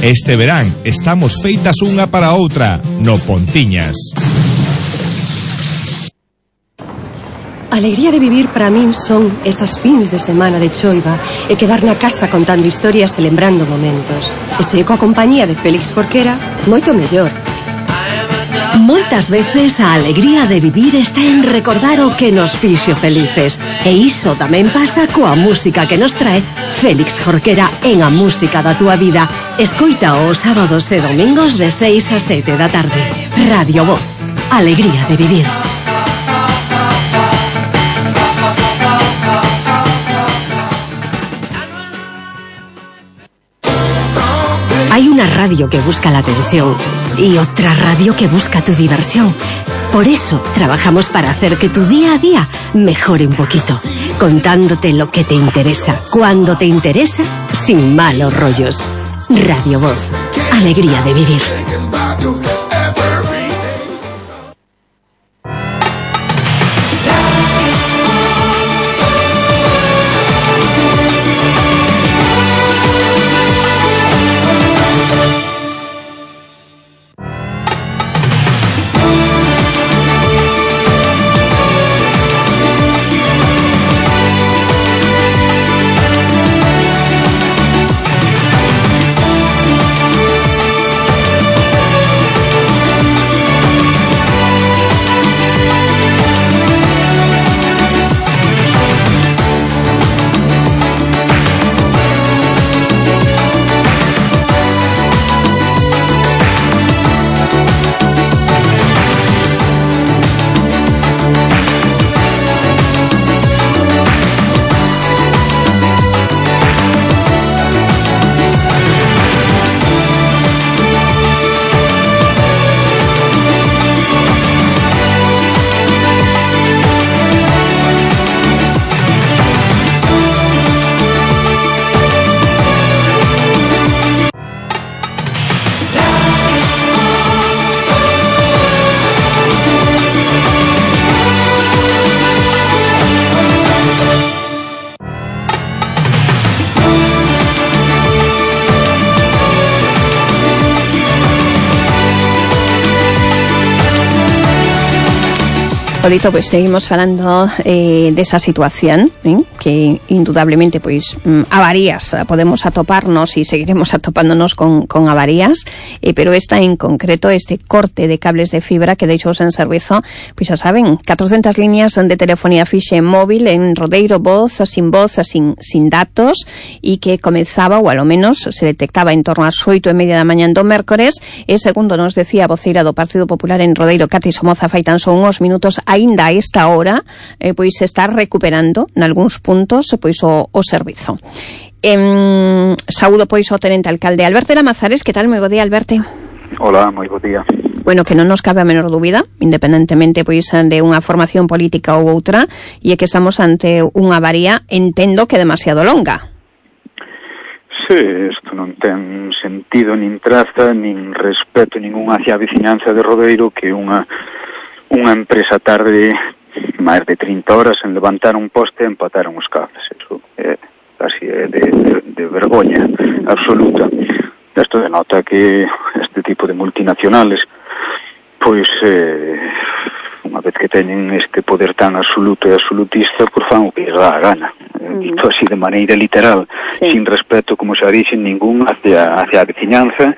Este verán estamos feitas unha para outra no Pontiñas. A alegría de vivir para min son esas fins de semana de choiva e quedar na casa contando historias e lembrando momentos. E se coa compañía de Félix Jorquera, moito mellor. Moitas veces a alegría de vivir está en recordar o que nos fixo felices. E iso tamén pasa coa música que nos trae Félix Jorquera en A Música da Túa Vida. Escoita os sábados e domingos de seis a sete da tarde. Radio Voz. Alegría de vivir. Hay una radio que busca la atención y otra radio que busca tu diversión. Por eso trabajamos para hacer que tu día a día mejore un poquito, contándote lo que te interesa, cuando te interesa, sin malos rollos. Radio Voz, alegría de vivir. O dito, pois seguimos falando eh, desa situación, eh, que indudablemente pois mm, avarías podemos atoparnos e seguiremos atopándonos con, con avarías, eh, pero esta en concreto, este corte de cables de fibra que deixou en servizo, pois xa saben, catrocentas líneas de telefonía fixe móvil en Rodeiro, voz, sin voz, sin, sin datos, e que comezaba, ou alo menos se detectaba en torno ás oito e media da mañan do mércores, e segundo nos decía a voceira do Partido Popular en Rodeiro, Cati Somoza, fai tan só uns minutos, aínda a esta hora, eh, pois se está recuperando nalgúns puntos pois o, o servizo. Eh, saúdo pois o tenente alcalde Alberto Lamazares. Que tal? Moi bo día, Alberto. Hola, moi bo día. Bueno, que non nos cabe a menor dúbida, independentemente pois de unha formación política ou outra, e é que estamos ante unha avaría, entendo que demasiado longa. Sí, isto non ten sentido nin traza, nin respeto ningún hacia a veciñanza de Rodeiro, que unha unha empresa tarde máis de trinta horas en levantar un poste e empataron os cables. Eso é casi de, de, de vergoña absoluta. Isto denota que este tipo de multinacionales, pois, eh, unha vez que teñen este poder tan absoluto e absolutista, por fan o que lles dá a gana. Uh-huh. Dito así de maneira literal, sí. Sin respeto, como xa dixen, ningún hacia, hacia a veciñanza.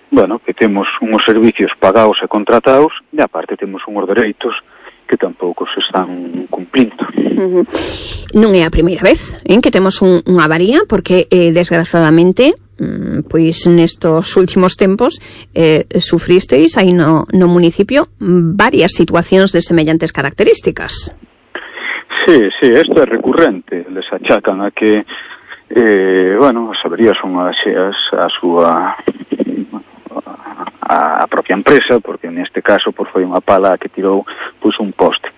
Bueno, que temos unhos servicios pagados e contratados, e aparte temos unhos dereitos que tampouco se están cumplindo. Uh-huh. Non é a primeira vez en que temos un, unha avaría, porque eh, desgraciadamente pois nestos últimos tempos eh, sufristeis aí no, no municipio varias situacións de semellantes características. Sí, sí, isto é recurrente. Les achacan a que eh, bueno, as averías son axeas a súa a propia empresa, porque neste caso por foi unha pala que tirou pois un poste.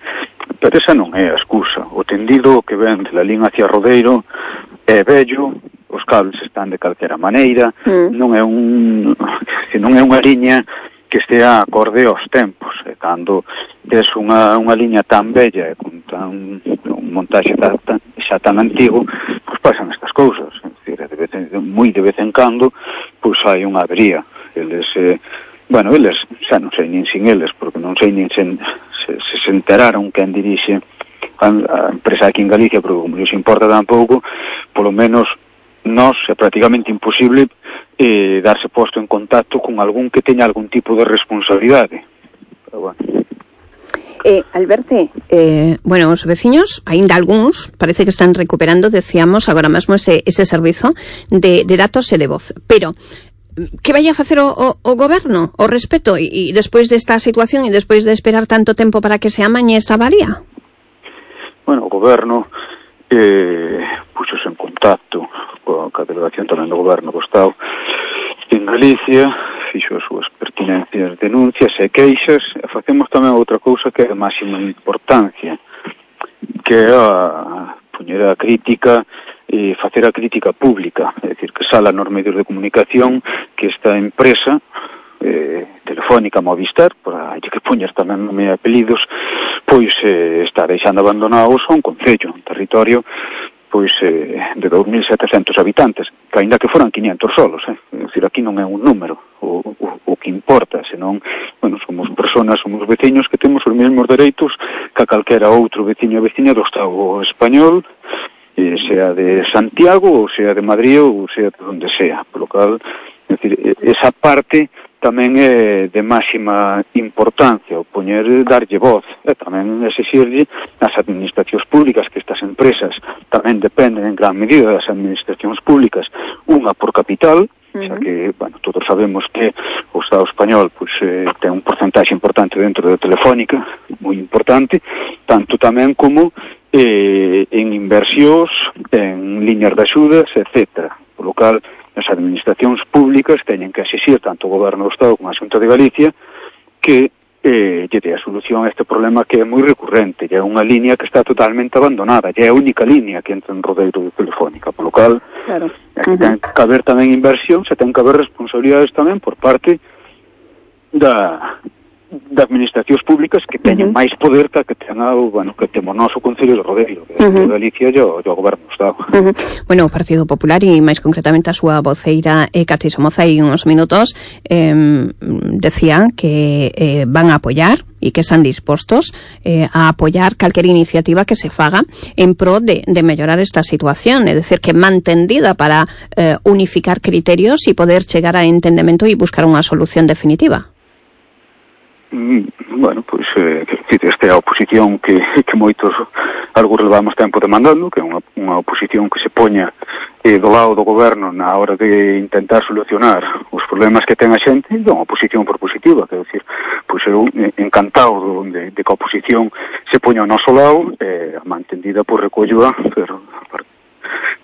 Pero esa non é a excusa. O tendido que ven de la línea hacia Rodeiro é vello, os cables están de calquera maneira, mm. non é un non é unha liña que estea acorde aos tempos. E cando tes unha, unha liña tan bella e con tan, un montaxe tan, tan, xa tan antigo, pois pasan estas cousas. É dicir, de vez en, moi de vez en cando, pois hai unha avería. Eles, eh, bueno, eles, xa non sei nin sin eles, porque non sei nin sen, se, se, se enteraron quen dirixe a, a empresa aquí en Galicia, porque como lles importa tampouco, polo menos nos é prácticamente imposible eh, darse posto en contacto con algún que teña algún tipo de responsabilidade. Pero bueno. Eh, Alberto, eh, bueno, os veciños, aínda algúns, parece que están recuperando, decíamos, agora mesmo ese, ese servizo de, de datos e de voz. Pero que vai a facer o, o, o goberno ao respecto e, e despois desta situación e despois de esperar tanto tempo para que se amañe esta avaría? Bueno, o goberno eh, puxose en contacto coa delegación tamén do goberno do Estado en Galicia, fixo as súas pertinencias denuncias e queixas, e facemos tamén outra cousa que é de máxima importancia, que é a poñer a crítica e facer a crítica pública, é dicir, que sala nos medios de comunicación que esta empresa eh, telefónica Movistar, para que poñer tamén nome e apelidos, pois eh, está deixando abandonados a un concello, un territorio pois eh, de dous mil setecentos habitantes, que aínda que foran quinientos solos, eh? É dicir, aquí non é un número o, o, o que importa, senón, bueno, somos personas, somos veciños que temos os mesmos dereitos que a calquera outro veciño e veciña do Estado español, eh, sea de Santiago, ou sea de Madrid, ou sea de donde sea. Por lo cual, é dicir, esa parte tamén é de máxima importancia, o poñer, darlle voz, e tamén exixirlle as administracións públicas, que estas empresas tamén dependen en gran medida das administracións públicas, unha por capital, uh-huh. xa que, bueno, todos sabemos que o Estado español pois, eh, ten un porcentaxe importante dentro da Telefónica, moi importante, tanto tamén como eh, en inversións, en liñas de axudas, etcétera. Por lo cal, as administracións públicas teñen que exixir tanto o Goberno do Estado como a Xunta de Galicia que eh, lle dé a solución a este problema que é moi recurrente, e é unha línea que está totalmente abandonada, e é a única línea que entra en Rodeiro de Telefónica, por lo cal claro. Aquí uh-huh. ten que haber tamén inversión, se ten que haber responsabilidades tamén por parte da de administracións públicas que teñen uh-huh. máis poder que que tenga o, bueno, que temos noso Concello de Rodeiro, que é uh-huh. de Galicia e o, o Goberno do Estado. Uh-huh. Bueno, o Partido Popular e máis concretamente a súa voceira eh, Cati Somoza hai uns minutos eh, decía que eh, van a apoiar e que están dispostos eh, a apoyar calquer iniciativa que se faga en pro de, de mellorar esta situación, é dicir, que mantendida para eh, unificar criterios e poder chegar a entendemento e buscar unha solución definitiva. Bueno, pois eh, esta é a oposición que, que moitos algo levamos tempo demandando, que é unha, unha oposición que se poña eh, do lado do goberno na hora de intentar solucionar os problemas que ten a xente, e unha oposición propositiva, quero dicir, pois eu encantado de, de que a oposición se poña ao noso lado, eh, a mantendida por recollo, pero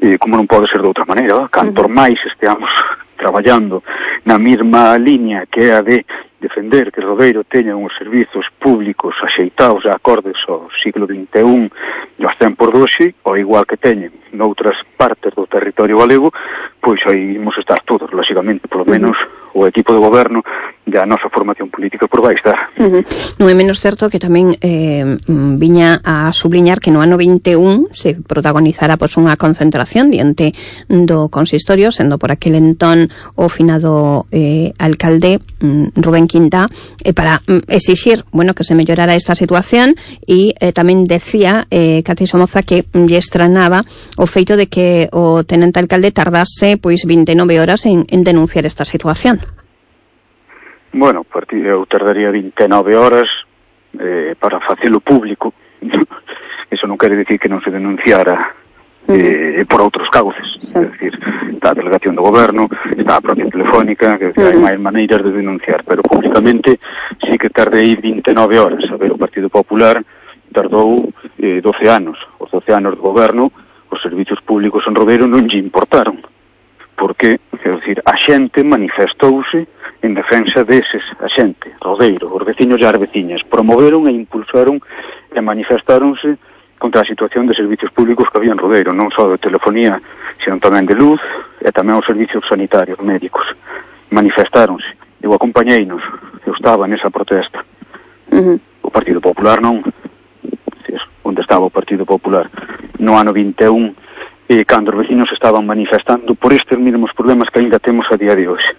eh, como non pode ser de outra maneira, cantor máis esteamos traballando na mesma liña que é a de defender que Rodeiro teña uns servizos públicos axeitados a acordes ao siglo vinte e un e aos tempos de hoxe, ao igual que teñen noutras partes do territorio galego, pois aí imos estar todos, lógicamente, polo menos o equipo de goberno e a nosa formación política por vai estar. Uh-huh. Non é menos certo que tamén eh, viña a subliñar que no ano vinte e un se protagonizara pois, unha concentración diante do consistorio, sendo por aquel entón o finado eh, alcalde mm, Rubén Quintá, eh, para mm, exixir, bueno, que se mellorara esta situación e eh, tamén decía eh, Cati Somoza que lle estranaba o feito de que o tenente alcalde tardase pois vinte e nove horas en, en denunciar esta situación. Bueno, eu tardaría vinte e nove horas eh, para facelo público. Eso non quere dicir que non se denunciara eh, por outros cauces. Sí. É dicir, está a delegación do goberno, está a propia telefónica, que uh-huh. hai máis maneiras de denunciar, pero públicamente sí que tardei vinte e nove horas. A ver, o Partido Popular tardou eh, doce anos. Os doce anos do goberno, os servizos públicos en Rodeiro non lle importaron. Porque, quero dicir, a xente manifestouse en defensa deses, a xente, Rodeiro, os veciños e as veciñas, promoveron e impulsaron e manifestáronse contra a situación de servicios públicos que había en Rodeiro, non só de telefonía, sino tamén de luz e tamén os servicios sanitarios, médicos. Manifestáronse. Eu acompañeinos, eu estaba nesa protesta. Uh-huh. O Partido Popular non. Onde estaba o Partido Popular? No ano vinte e un, e cando os veciños estaban manifestando por estes mesmos problemas que ainda temos a día de hoxe.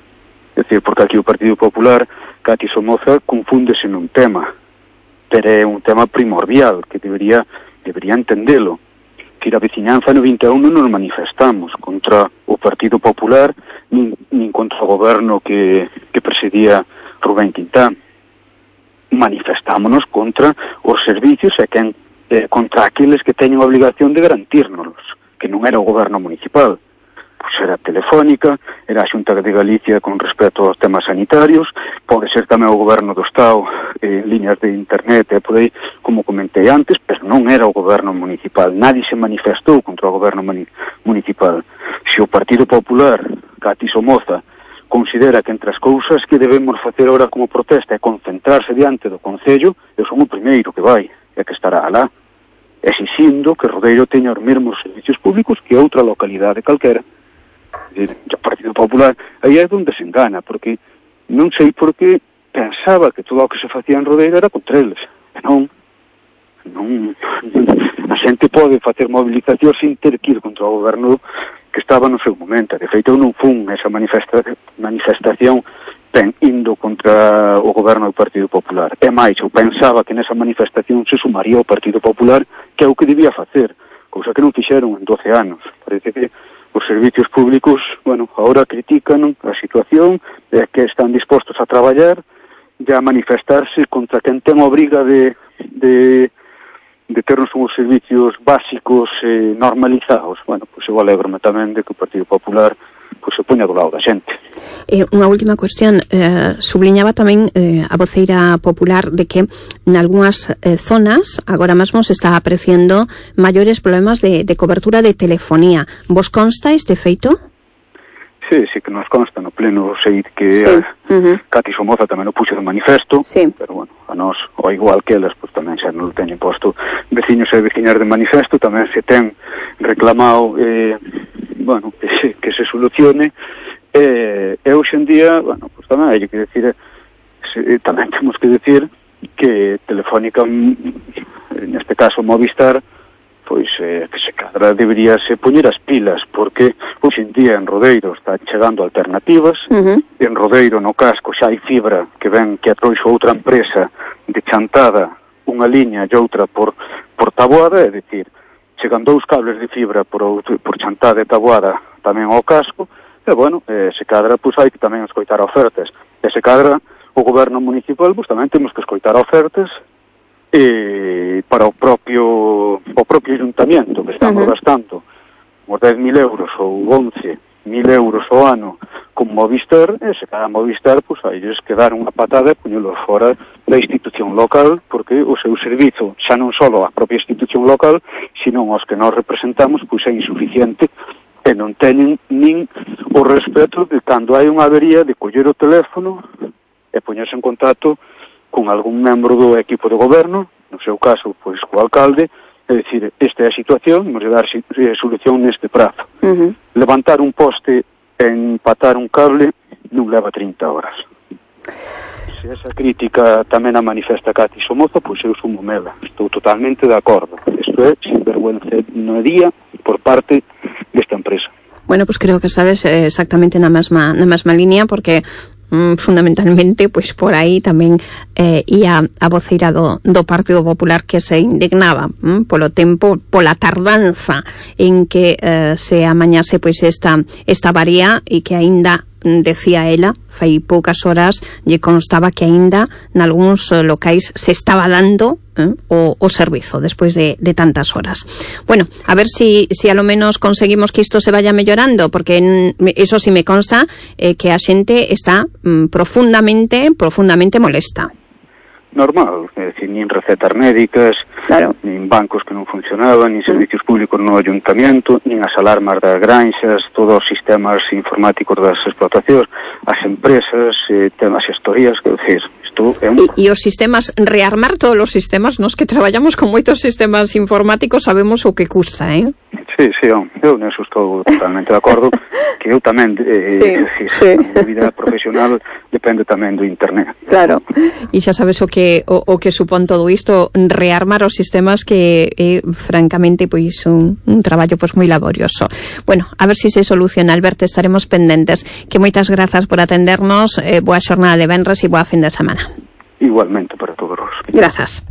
É dicir, porque aquí o Partido Popular, Cati Somoza, confúndese nun tema, pero é un tema primordial, que debería, debería entendelo. Que a veciñanza no vinte e un non nos manifestamos contra o Partido Popular, nin, nin contra o goberno que, que presidía Rubén Quintá. Manifestámonos contra os servicios e quen, eh, contra aqueles que teñen a obligación de garantírnoslos, que non era o goberno municipal. Pois era Telefónica, era a Xunta de Galicia con respecto aos temas sanitarios, pode ser tamén o goberno do Estado en eh, líneas de internet, e podei, como comentei antes, pero non era o goberno municipal. Nadie se manifestou contra o goberno municipal. Se o Partido Popular, Cati Somoza, considera que entre as cousas que debemos facer ahora como protesta é concentrarse diante do Concello, eu son o primeiro que vai, e que estará alá, exixindo que Rodeiro teña os mesmos servicios públicos que outra localidade calquera. O Partido Popular aí é onde se engana, porque non sei por que pensaba que todo o que se facía en Rodeiro era contra eles, e non non a xente pode facer movilización sin ter que ir contra o goberno que estaba no seu momento. De feito, eu non fun esa manifesta manifestación ben indo contra o goberno do Partido Popular. É máis, eu pensaba que nesa manifestación se sumaría o Partido Popular, que é o que debía facer, cousa que non fixeron en doce anos. Parece que os servicios públicos, bueno, agora critican a situación, e que están dispostos a traballar e a manifestarse contra quen ten a obriga de, de, de ternos uns servicios básicos eh, normalizados. Bueno, pois eu alegro-me tamén de que o Partido Popular pois se poña do lado da xente. Eh, unha última cuestión, eh, subliñaba tamén eh, a voceira popular de que en algunhas eh, zonas agora mesmo se está apreciando maiores problemas de, de cobertura de telefonía. Vos consta este feito? Sí, sí que nos consta no pleno, sei que sí. a uh-huh. Cati Somoza tamén o puxo de manifesto, sí. Pero bueno, a nós, ao igual que elas, pues, tamén xa non o teñen posto veciños e veciñas de manifesto, tamén se ten reclamado eh, bueno, que se, que se solucione e, e hoxe en día, bueno, pues tamén hai que decir se, tamén temos que decir que Telefónica, neste caso Movistar, pois eh, que se cadra debería se poñer as pilas, porque hoxe en día en Rodeiro está chegando alternativas, uh-huh. En Rodeiro no casco xa hai fibra que ven que atroixo outra empresa de chantada unha liña e outra por, por tabuada, é dicir, chegan dous cables de fibra por, por chantada e tabuada tamén ao casco, e, bueno, eh, se cadra, pois hai que tamén escoitar ofertas. E se cadra, o goberno municipal, pois tamén temos que escoitar ofertas e para o propio o propio ayuntamiento, que estamos uh-huh. gastando uns dez mil euros ou once mil euros ao ano con Movistar, e se cada Movistar, pois hai que dar unha patada e poñelos fora da institución local, porque o seu servizo, xa non só a propia institución local, sino os que nós representamos, pois é insuficiente e non teñen nin o respeto de cando hai unha avería de coller o teléfono e poñerse en contacto con algún membro do equipo de goberno, no seu caso, pois, co alcalde, é dicir, esta é a situación, imos dar solución neste prazo. Uh-huh. Levantar un poste e empatar un cable non leva trinta horas. Se esa crítica tamén a manifesta Cati Somoza, pois eu sumo mela. Estou totalmente de acordo. Isto é sinvergüencería por parte desta empresa. Bueno, pois pues creo que estades exactamente na mesma, na mesma línea, porque Mm, fundamentalmente, pois por aí tamén eh, ia a voceira do, do Partido Popular que se indignaba mm, polo tempo, pola tardanza en que eh, se amañase pois esta, esta varía e que aínda decía ela, fai poucas horas lle constaba que aínda nalgúns locais se estaba dando eh, o, o servizo despois de, de tantas horas. Bueno, a ver si, si a lo menos conseguimos que isto se vaya mellorando, porque en, eso sí me consta eh, que a xente está mm, profundamente profundamente molesta. Normal, é dicir, nin recetas médicas, claro, nin bancos que non funcionaban, nin servicios públicos no ayuntamento, nin as alarmas das granxas, todos os sistemas informáticos das explotacións, as empresas, eh, temas gestorías, que decir, isto é un... E, e os sistemas, rearmar todos os sistemas, nos que traballamos con moitos sistemas informáticos, sabemos o que custa, eh? Sí, sí, eu neso estou totalmente de acordo, que eu tamén, eh, sí, decir, sí. A vida profesional depende tamén do internet. Claro, e xa sabes o que o, o que supón todo isto, rearmar os sistemas, que é, eh, francamente, pois un, un traballo pois moi laborioso. Bueno, a ver se si se soluciona, Alberto, estaremos pendentes. Que moitas grazas por atendernos, eh, boa xornada de venres e boa fin de semana. Igualmente para todos. Grazas.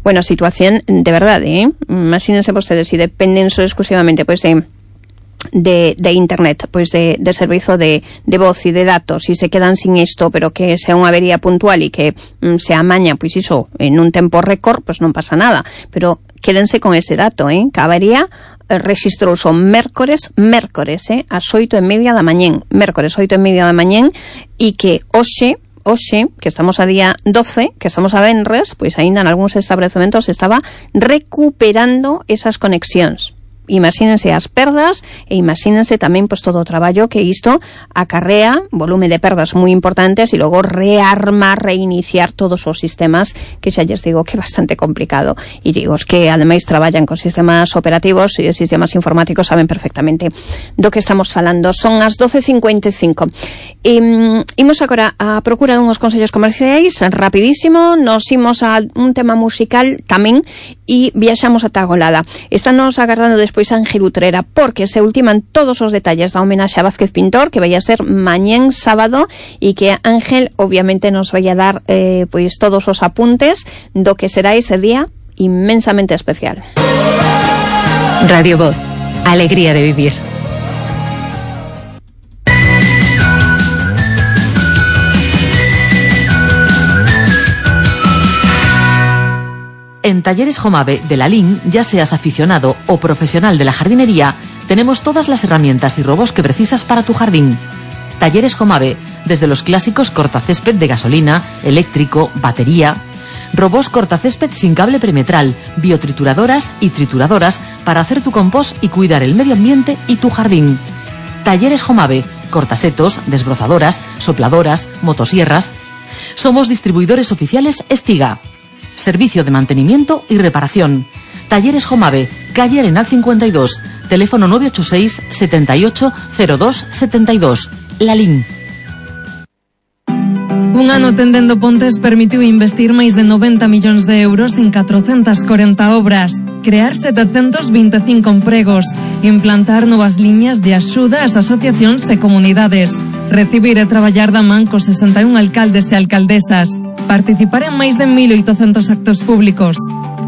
Bueno, situación de verdade, ¿eh? Imagínense vostedes, si dependen só exclusivamente pois de de, de internet, pois de, de servizo de, de voz e de datos, e se quedan sin isto, pero que sea unha avería puntual e que mm, se amaña, pois iso, en un tempo récord, pois non pasa nada, pero quédense con ese dato, ¿eh? Que a avería eh, registrouse o mércores, mércores, eh? As oito e media da mañén, mércores, oito e media da mañén, e que hoxe, hoxe, que estamos a día doce, que estamos a venres, pois aínda en algúns establecementos estaba recuperando esas conexións. Imagínense as perdas e imagínense tamén pois todo o traballo que isto acarrea, volume de perdas moi importantes, e logo rearmar, reiniciar todos os sistemas, que xa lles digo que é bastante complicado. E digo, os que ademais traballan con sistemas operativos e sistemas informáticos saben perfectamente do que estamos falando. Son as doce cincuenta e cinco. E, imos agora a procura dunhos consellos comerciais, rapidísimo, nos imos a un tema musical tamén e viaxamos ata Golada. Estános agardando despois Pois Ángel Utrera, porque se ultiman todos os detalles da homenaxe a Vázquez Pintor, que vai a ser mañén sábado, e que Ángel obviamente nos vai a dar eh, pois todos os apuntes do que será ese día inmensamente especial. Radio Voz, alegría de vivir. En Talleres Jomave de la Lin, ya seas aficionado o profesional de la jardinería, tenemos todas las herramientas y robos que precisas para tu jardín. Talleres Jomave, desde los clásicos cortacésped de gasolina, eléctrico, batería, robos cortacésped sin cable perimetral, biotrituradoras y trituradoras para hacer tu compost y cuidar el medio ambiente y tu jardín. Talleres Jomave, cortasetos, desbrozadoras, sopladoras, motosierras. Somos distribuidores oficiales Estiga. Servicio de mantenimiento y reparación. Talleres Jomave, calle Arenal cincuenta y dos, teléfono nueve ocho seis, setenta y ocho, cero dos, setenta y dos. La Lin. Un ano tendendo pontes permitiu investir máis de noventa millóns de euros en catrocentas corenta obras, crear setecentos veinticinco empregos, implantar novas liñas de axuda ás asociacións e comunidades, recibir e traballar da man cos sesenta e un alcaldes e alcaldesas, participar en máis de mil oitocentos actos públicos.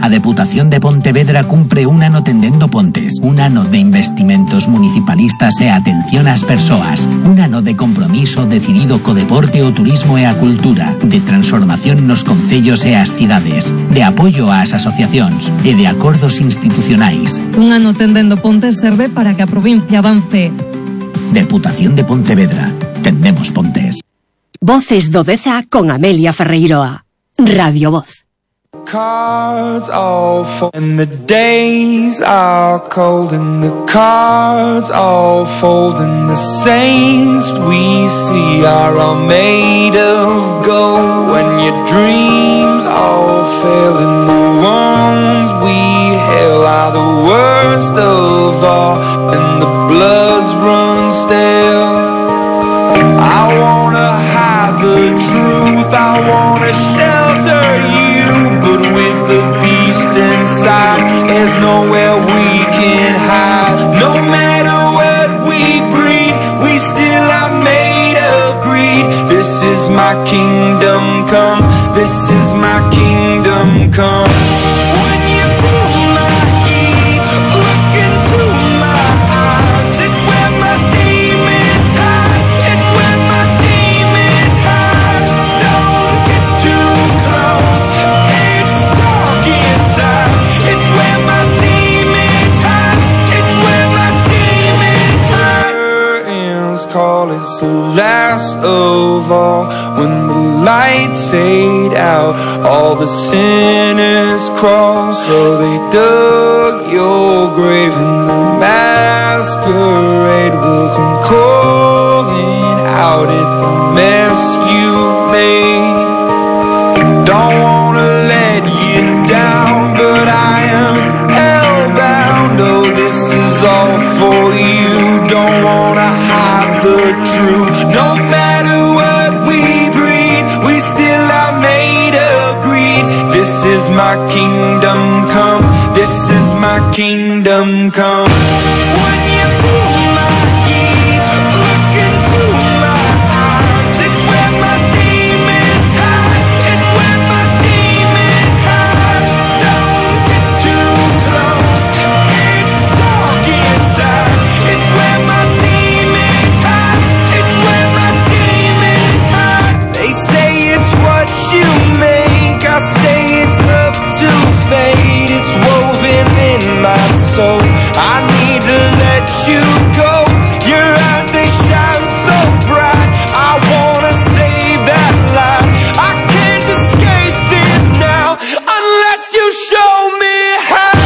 A Deputación de Pontevedra cumpre un ano tendendo pontes, un ano de investimentos municipalistas e atención ás persoas, un ano de compromiso decidido co deporte, o turismo e a cultura, de transformación nos concellos e as cidades, de apoio ás asociacións e de acordos institucionais. Un ano tendendo pontes serve para que a provincia avance. Deputación de Pontevedra. Tendemos pontes. Voces do Deza con Amelia Ferreiroa. Radio Voz. Cards all fall and the days are cold and the cards all fold and the saints we see are all made of gold. When your dreams all fail and the ones we hail are the worst of all and the bloods run stale. I wanna hide the truth, I wanna shelter you, but with the beast inside, there's nowhere we can hide. No matter what we breed, we still are made of greed. This is my kingdom come, this is my kingdom come. When you feel my heat, look into my eyes, it's where my demons hide, it's where my demons hide. Don't get too close, it's dark inside, it's where my demons hide, it's where my demons hide. Curtains call, it's the last of all. When the lights fade out, all the sinners crawl. So they dug your grave and the masquerade will come calling out at the mess you made. Don't wanna let you down, but I am hellbound. Oh, this is all for you. Don't wanna hide the truth. No matter what we breed, we still are made of greed. This is my kingdom come, this is my kingdom come. When you feel my heat, look into my eyes, it's where my demons hide, it's where my demons hide. Don't get too close, it's dark inside, it's where my demons hide, it's where my demons hide. They say it's what you make, I say it's up to fate. It's woven in my soul, I need to let you go. Your eyes, they shine so bright, I wanna save that light. I can't escape this now, unless you show me how.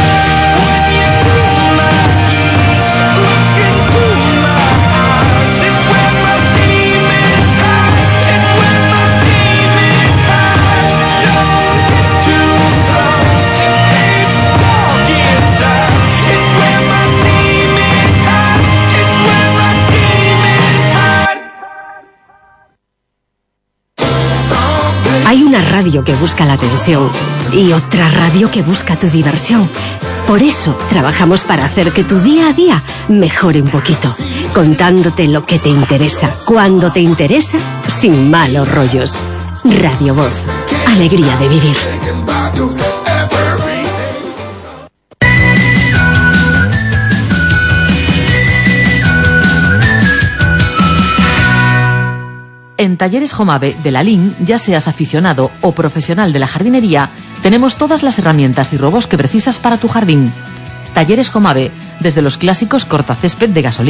When you feel my heat, look into my eyes, it's where my demons hide, it's where my demons hide. Don't get too close, it's dark inside, it's where my demons hide, it's where my demons hide. Hay una radio que busca la atención y otra radio que busca tu diversión. Por eso trabajamos para hacer que tu día a día mejore un poquito, contándote lo que te interesa, cuando te interesa, sin malos rollos. Radio Voz, alegría de vivir. En Talleres Jomave de la Lin, ya seas aficionado o profesional de la jardinería, tenemos todas las herramientas y robos que precisas para tu jardín. Talleres Jomave, desde los clásicos cortacésped de gasolina